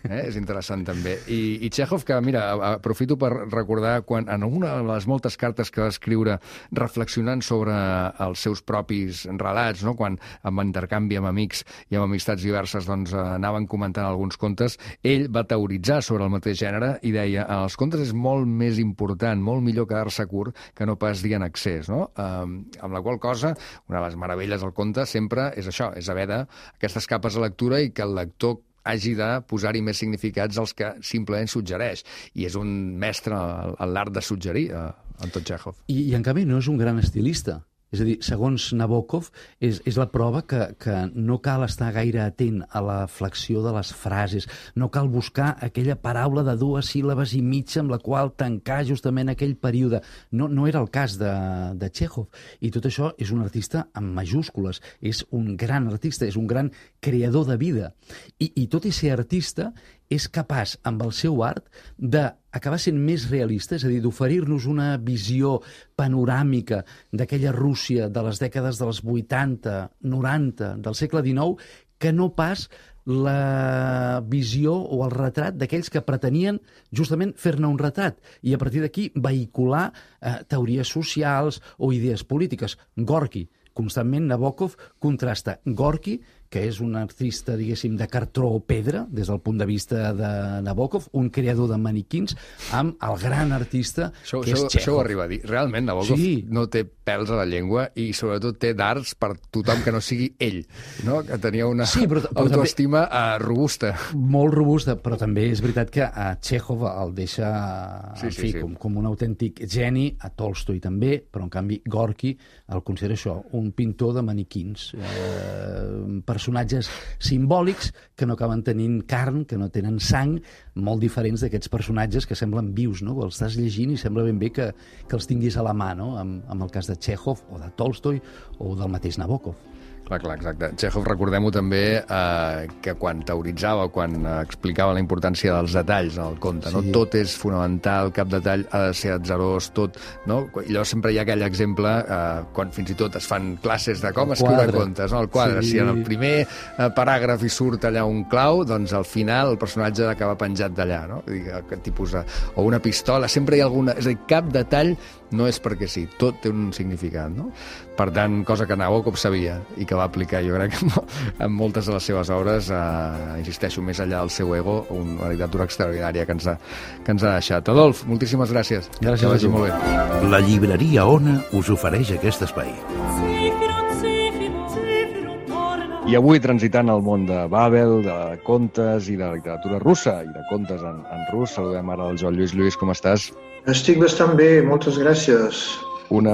És interessant també. I Txékhov, que mira, aprofito per recordar quan en una de les moltes cartes que va escriure reflexionant sobre els seus propis relats, no? Quan amb intercanvi amb amics i amb amistats diverses doncs, anaven comentant alguns contes, ell va teoritzar sobre el mateix gènere i deia, els contes és molt més important, molt millor quedar-se curt que no pas dir en excés, no? Amb la qual cosa, una de les meravelles del conte sempre és això, és haver d'aquestes capes de lectura i que el lector hagi de posar-hi més significats als que simplement suggereix. I és un mestre en l'art de suggerir, Anton Txékhov. I en canvi no és un gran estilista. És a dir, segons Nabokov, és la prova que no cal estar gaire atent a la flexió de les frases, no cal buscar aquella paraula de 2 síl·labes i mitja amb la qual tancar justament aquell període. No era el cas de Txékhov. I tot això és un artista amb majúscules, és un gran artista, és un gran creador de vida. I tot i ser artista, és capaç, amb el seu art, d'acabar sent més realista, és a dir, d'oferir-nos una visió panoràmica d'aquella Rússia de les dècades dels 80, 90, del segle XIX, que no pas la visió o el retrat d'aquells que pretenien justament fer-ne un retrat i a partir d'aquí vehicular teories socials o idees polítiques. Gorki, constantment Nabokov contrasta Gorki, que és un artista, diguéssim, de cartró o pedra, des del punt de vista de Nabokov, un creador de maniquins, amb el gran artista que és Txékhov. Això ho arriba a dir. Realment, Nabokov no té pèls a la llengua i, sobretot, té dards per tothom que no sigui ell, no? Que tenia una autoestima robusta. Molt robusta, però també és veritat que a Txékhov el deixa com un autèntic geni, a Tolstoi també, però, en canvi, Gorki el considera això, un pintor de maniquins, personatges simbòlics que no acaben tenint carn, que no tenen sang, molt diferents d'aquests personatges que semblen vius, no? Els estàs llegint i sembla ben bé que els tinguis a la mà, no? Amb el cas de Txékhov o de Tolstoi o del mateix Nabokov. Clar, exacte. Txékhov, recordem-ho també, que quan teoritzava, quan explicava la importància dels detalls al conte, no? Tot és fonamental, cap detall ha de ser atzarós, tot, no? I llavors sempre hi ha aquell exemple, quan fins i tot es fan classes de com escriure contes, no? El quadre, si en el primer paràgraf hi surt allà un clau, doncs al final el personatge acaba penjat d'allà, no? Aquest tipus de... O una pistola, sempre hi ha alguna... És a dir, cap detall no és perquè sí, tot té un significat, no? Per tant, cosa que Nabokov sabia i que va aplicar, jo crec, en moltes de les seves obres, insisteixo, més enllà del seu ego, una literatura extraordinària que ens ha deixat. Adolf, moltíssimes gràcies. Gràcies a tu. Molt bé. La llibreria Ona us ofereix aquest espai. I avui, transitant al món de Babel, de contes i de literatura russa, i de contes en rus, saludem ara el Joan Lluís. Lluís, com estàs? Estic bastant bé, moltes gràcies. Un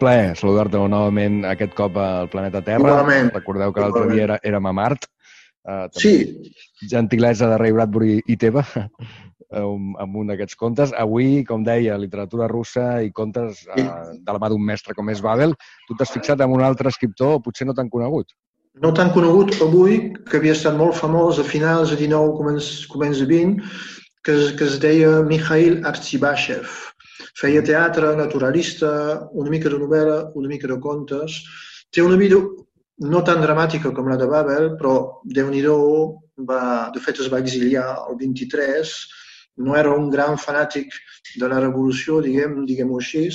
plaer saludar-te novament aquest cop al planeta Terra. Igualment. Recordeu que l'altre dia érem a Mart. Sí. Gentilesa de Ray Bradbury i teva, amb un d'aquests contes. Avui, com deia, literatura russa i contes de la mà d'un mestre com és Babel. Tu t'has fixat en un altre escriptor, potser no tan conegut. No tan conegut avui, que havia estat molt famós a finals de 19, començ de 20, que es deia Mikhail Artzibashev. Feia teatre, naturalista, una mica de novel·la, una mica de contes. Té una vida no tan dramàtica com la de Babel, però Déu-n'hi-do, de fet es va exiliar el 23, no era un gran fanàtic de la revolució, diguem-ho així,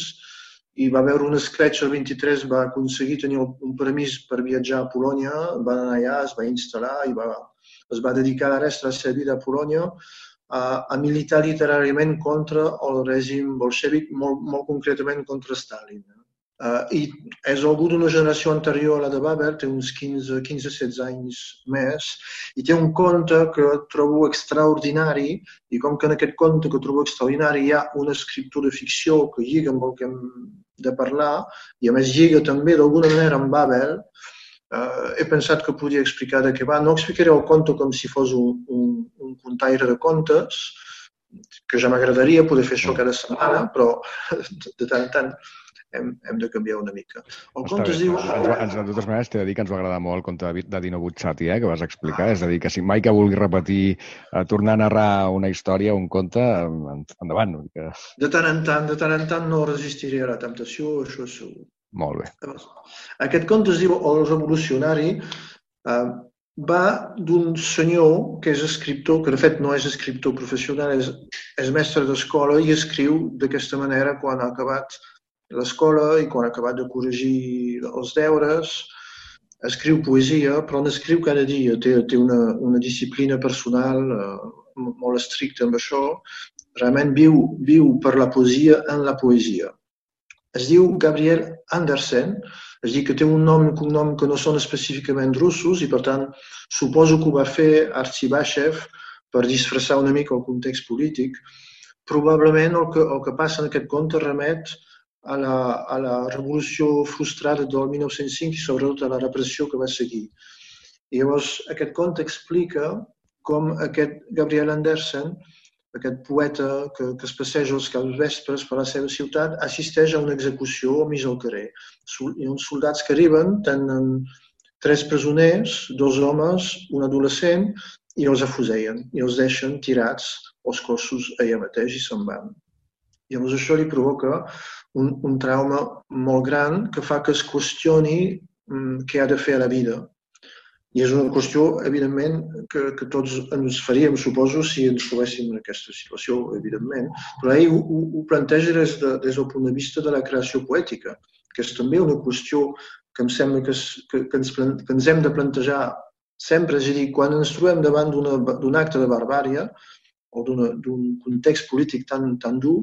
i va veure un escletx el 23, va aconseguir tenir un permís per viatjar a Polònia, va anar allà, es va instal·lar i es va dedicar la resta de la seva vida a Polònia a militar literàriament contra el règim bolxèvic, molt concretament contra Stalin. I és algú d'una generació anterior a la de Babel, té uns 15-16 anys més, i té un conte que trobo extraordinari, i com que en aquest conte que trobo extraordinari hi ha una escriptura de ficció que lliga amb el que hem de parlar, i a més lliga també d'alguna manera amb Babel, he pensat que podia explicar de què va. No explicaré el conte com si fos un contaire de contes, que ja m'agradaria poder fer això cada setmana, però de tant en tant hem de canviar una mica. El conte es diu... De totes maneres, t'he de dir que ens va agradar molt el conte de Dino Buzzati, que vas explicar. És a dir, que si mai que vulguis repetir, tornar a narrar una història, un conte, endavant. De tant en tant no resistiré a la temptació, això segur. Molt bé. Aquest conte es diu El revolucionari, va d'un senyor que és escriptor, que de fet no és escriptor professional, és mestre d'escola i escriu d'aquesta manera quan ha acabat l'escola i quan ha acabat de corregir els deures. Escriu poesia, però n'escriu cada dia. Té una disciplina personal molt estricta amb això. Realment viu per la poesia en la poesia. Es diu Gabriel Andersen, és a dir, que té un nom i un cognom que no són específicament russos i, per tant, suposo que ho va fer Artxibashev per disfressar una mica el context polític. Probablement el que passa en aquest conte remet a la revolució frustrada del 1905 i sobretot a la repressió que va seguir. I llavors aquest conte explica com aquest Gabriel Andersen, aquest poeta que es passeja els capvespres per la seva ciutat, assisteix a una execució al mig del carrer. Hi ha uns soldats que arriben, tenen 3 presoners, 2 homes, un adolescent, i els afusellen, i els deixen tirats els cossos allà mateix i se'n van. Llavors això li provoca un trauma molt gran que fa que es qüestioni què ha de fer a la vida. I és una qüestió, evidentment, que tots ens faríem, suposo, si ens trobéssim en aquesta situació, evidentment. Però ell ho planteja des del punt de vista de la creació poètica, que és també una qüestió que em sembla que ens hem de plantejar sempre. És a dir, quan ens trobem davant d'un acte de barbària o d'un context polític tan dur,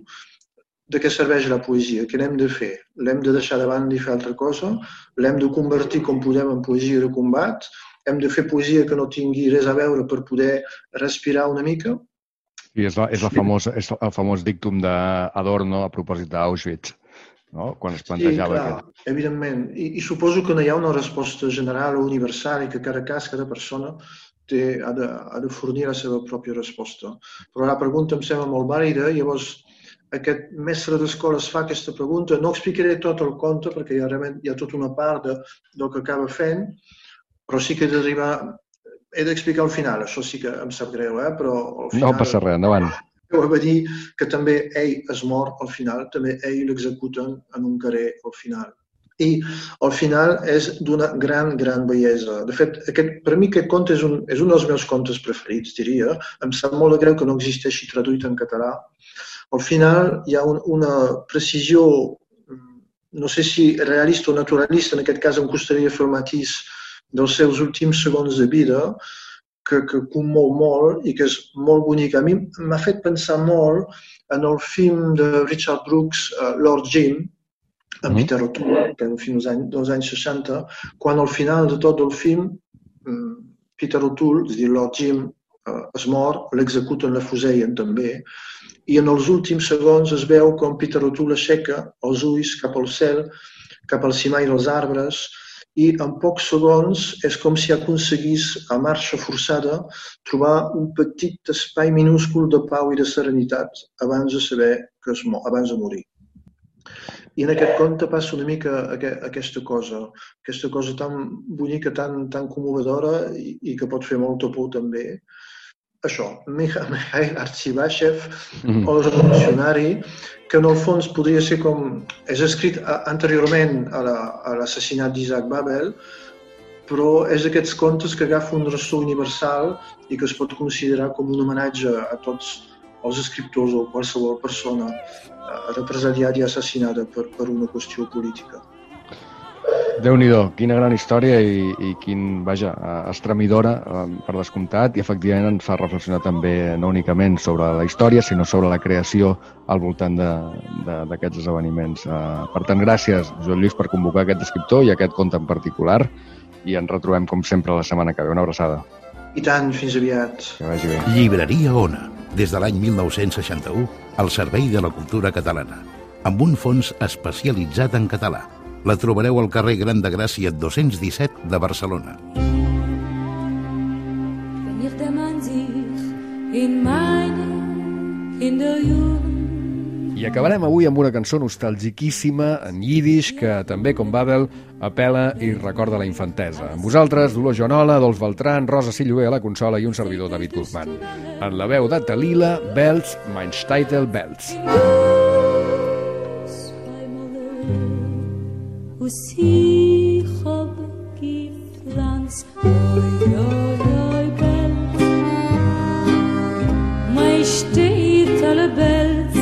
de què serveix la poesia? Què n'hem de fer? L'hem de deixar de banda i fer altra cosa? L'hem de convertir com podem en poesia de combat? Hem de fer poesia que no tingui res a veure per poder respirar una mica? I és el famós dictum d'Adorno a propòsit d'Auschwitz, no? Quan es plantejava aquest. Sí, clar, evidentment. I suposo que no hi ha una resposta general o universal i que cada cas, cada persona ha de fornir la seva pròpia resposta. Però la pregunta em sembla molt vàlida i llavors aquest mestre d'escola es fa aquesta pregunta. No explicaré tot el conte perquè hi ha tota una part del que acaba fent, però sí que he d'explicar al final. Això sí que em sap greu, però al final... No passa res, endavant. Ho va dir que també ell es mor al final, també ell l'executen en un carrer al final. I al final és d'una gran bellesa. De fet, per mi aquest conte és un dels meus contes preferits, diria. Em sap molt de greu que no existeixi traduït en català. Al final hi ha una precisió, no sé si realista o naturalista, en aquest cas em costaria fer el matís dels seus últims segons de vida, que commou molt i que és molt bonic. A mi m'ha fet pensar molt en el film de Richard Brooks, Lord Jim, amb Peter O'Toole, que és un film dels anys 60, quan al final de tot el film Peter O'Toole, és a dir, Lord Jim, es mor, l'executen, l'afusellen també, i en els últims segons es veu com Peter O'Toole aixeca els ulls cap al cel, cap al cimall dels arbres, i en pocs segons és com si aconseguís, a marxa forçada, trobar un petit espai minúscul de pau i de serenitat abans de saber que abans de morir. I en aquest conte passa una mica aquesta cosa tan bonica, tan commovedora i que pot fer molta por també. Això, Mikhail Artxibashev, el revolucionari, que en el fons podria ser com... És escrit anteriorment a l'assassinat d'Isaac Babel, però és d'aquests contes que agafa un ressò universal i que es pot considerar com un homenatge a tots els escriptors o qualsevol persona represaliada i assassinada per una qüestió política. Déu-n'hi-do, quina gran història i quin, vaja, estremidora per descomptat, i efectivament ens fa reflexionar també no únicament sobre la història, sinó sobre la creació al voltant d'aquests esdeveniments. Per tant, gràcies, Joan Lluís, per convocar aquest escriptor i aquest conte en particular, i ens retrobem, com sempre, la setmana que ve. Una abraçada. I tant, fins aviat. Que vagi bé. Llibreria Ona, des de l'any 1961, al servei de la cultura catalana, amb un fons especialitzat en català. La trobareu al carrer Gran de Gràcia 217 de Barcelona. I acabarem avui amb una cançó nostalgiquíssima en yiddish que també, com Babel, apela i recorda la infantesa. Amb vosaltres, Dolors Joanola, Adolf Beltran, Rosa Silloé a la consola i un servidor, David Guzmán. En la veu de Talila, Bells, mein Steitel Bells. ich hab gepflanzt. Oi, oi, oi, Belz, mein steht alle Belz,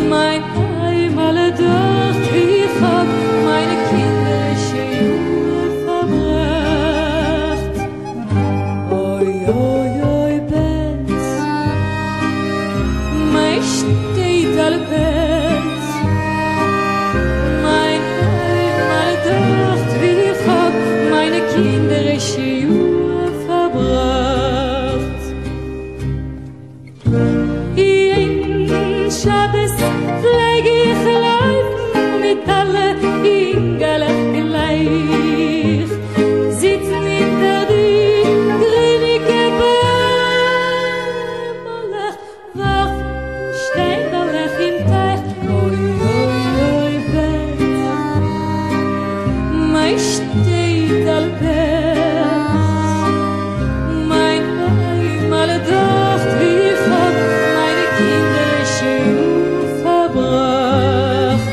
mein Heim alle dort, ich hab meine kinderische Jahre verbracht. Oi, oi, oi, Belz, mein steht alle Belz, mein Heim alle dort, ich hab meine kinderische Jahre verbracht. In Schabes pfleg ich laufen mit alle Ingelach gleich, sitzen hinter die grünige Bäume, wachen steinerlich im Teich. Oi, oi, oi, Belz, mein steht all Belz, mein Heim alle dort, ich hab meine kinderische Jugend verbracht.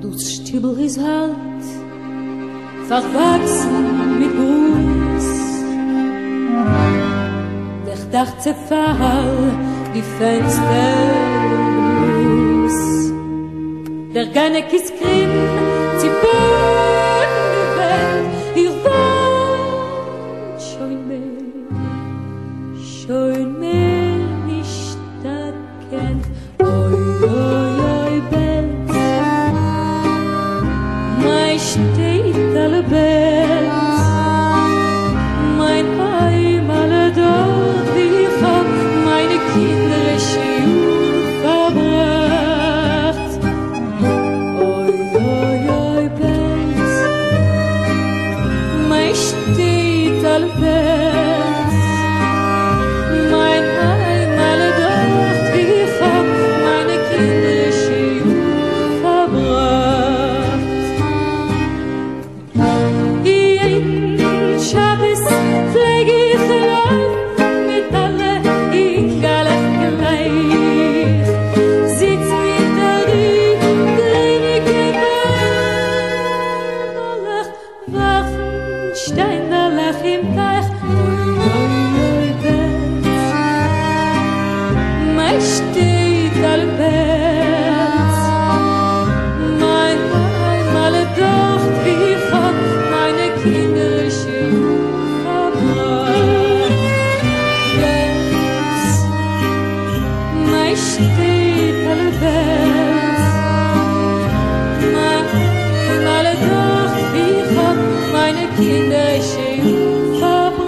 Das Stübel ist halt verwachsen mit Gruß. Der Dach zerfall, die Fenster los. Der Ganek ist grimm, sie bohren die Welt. Ihr wollt schon mehr nicht erkennt. Oi, oi, oi, Belz, mein steht alle Belz, mein Heim alle dort, ich hab meine kinderische Jugend verbracht. Oi, oi, oi, Belz, mein steht alle Belz, mein Heim alle dort, ich hab meine kinderische Jugend verbracht. In Schabes pfleg ich laufen mit alle Ingelach gleich, sitzen hinter die grünige Bäume, wachen steinerlich im Teich. Oi, oi, oi, Belz, mein steht all Belz, mein Heim alle dort, ich hab meine kinderische Jugend verbracht. Belz, mein steht alle Belz, mein Heim alle dort, ich hab meine kinderische Jugend verbracht.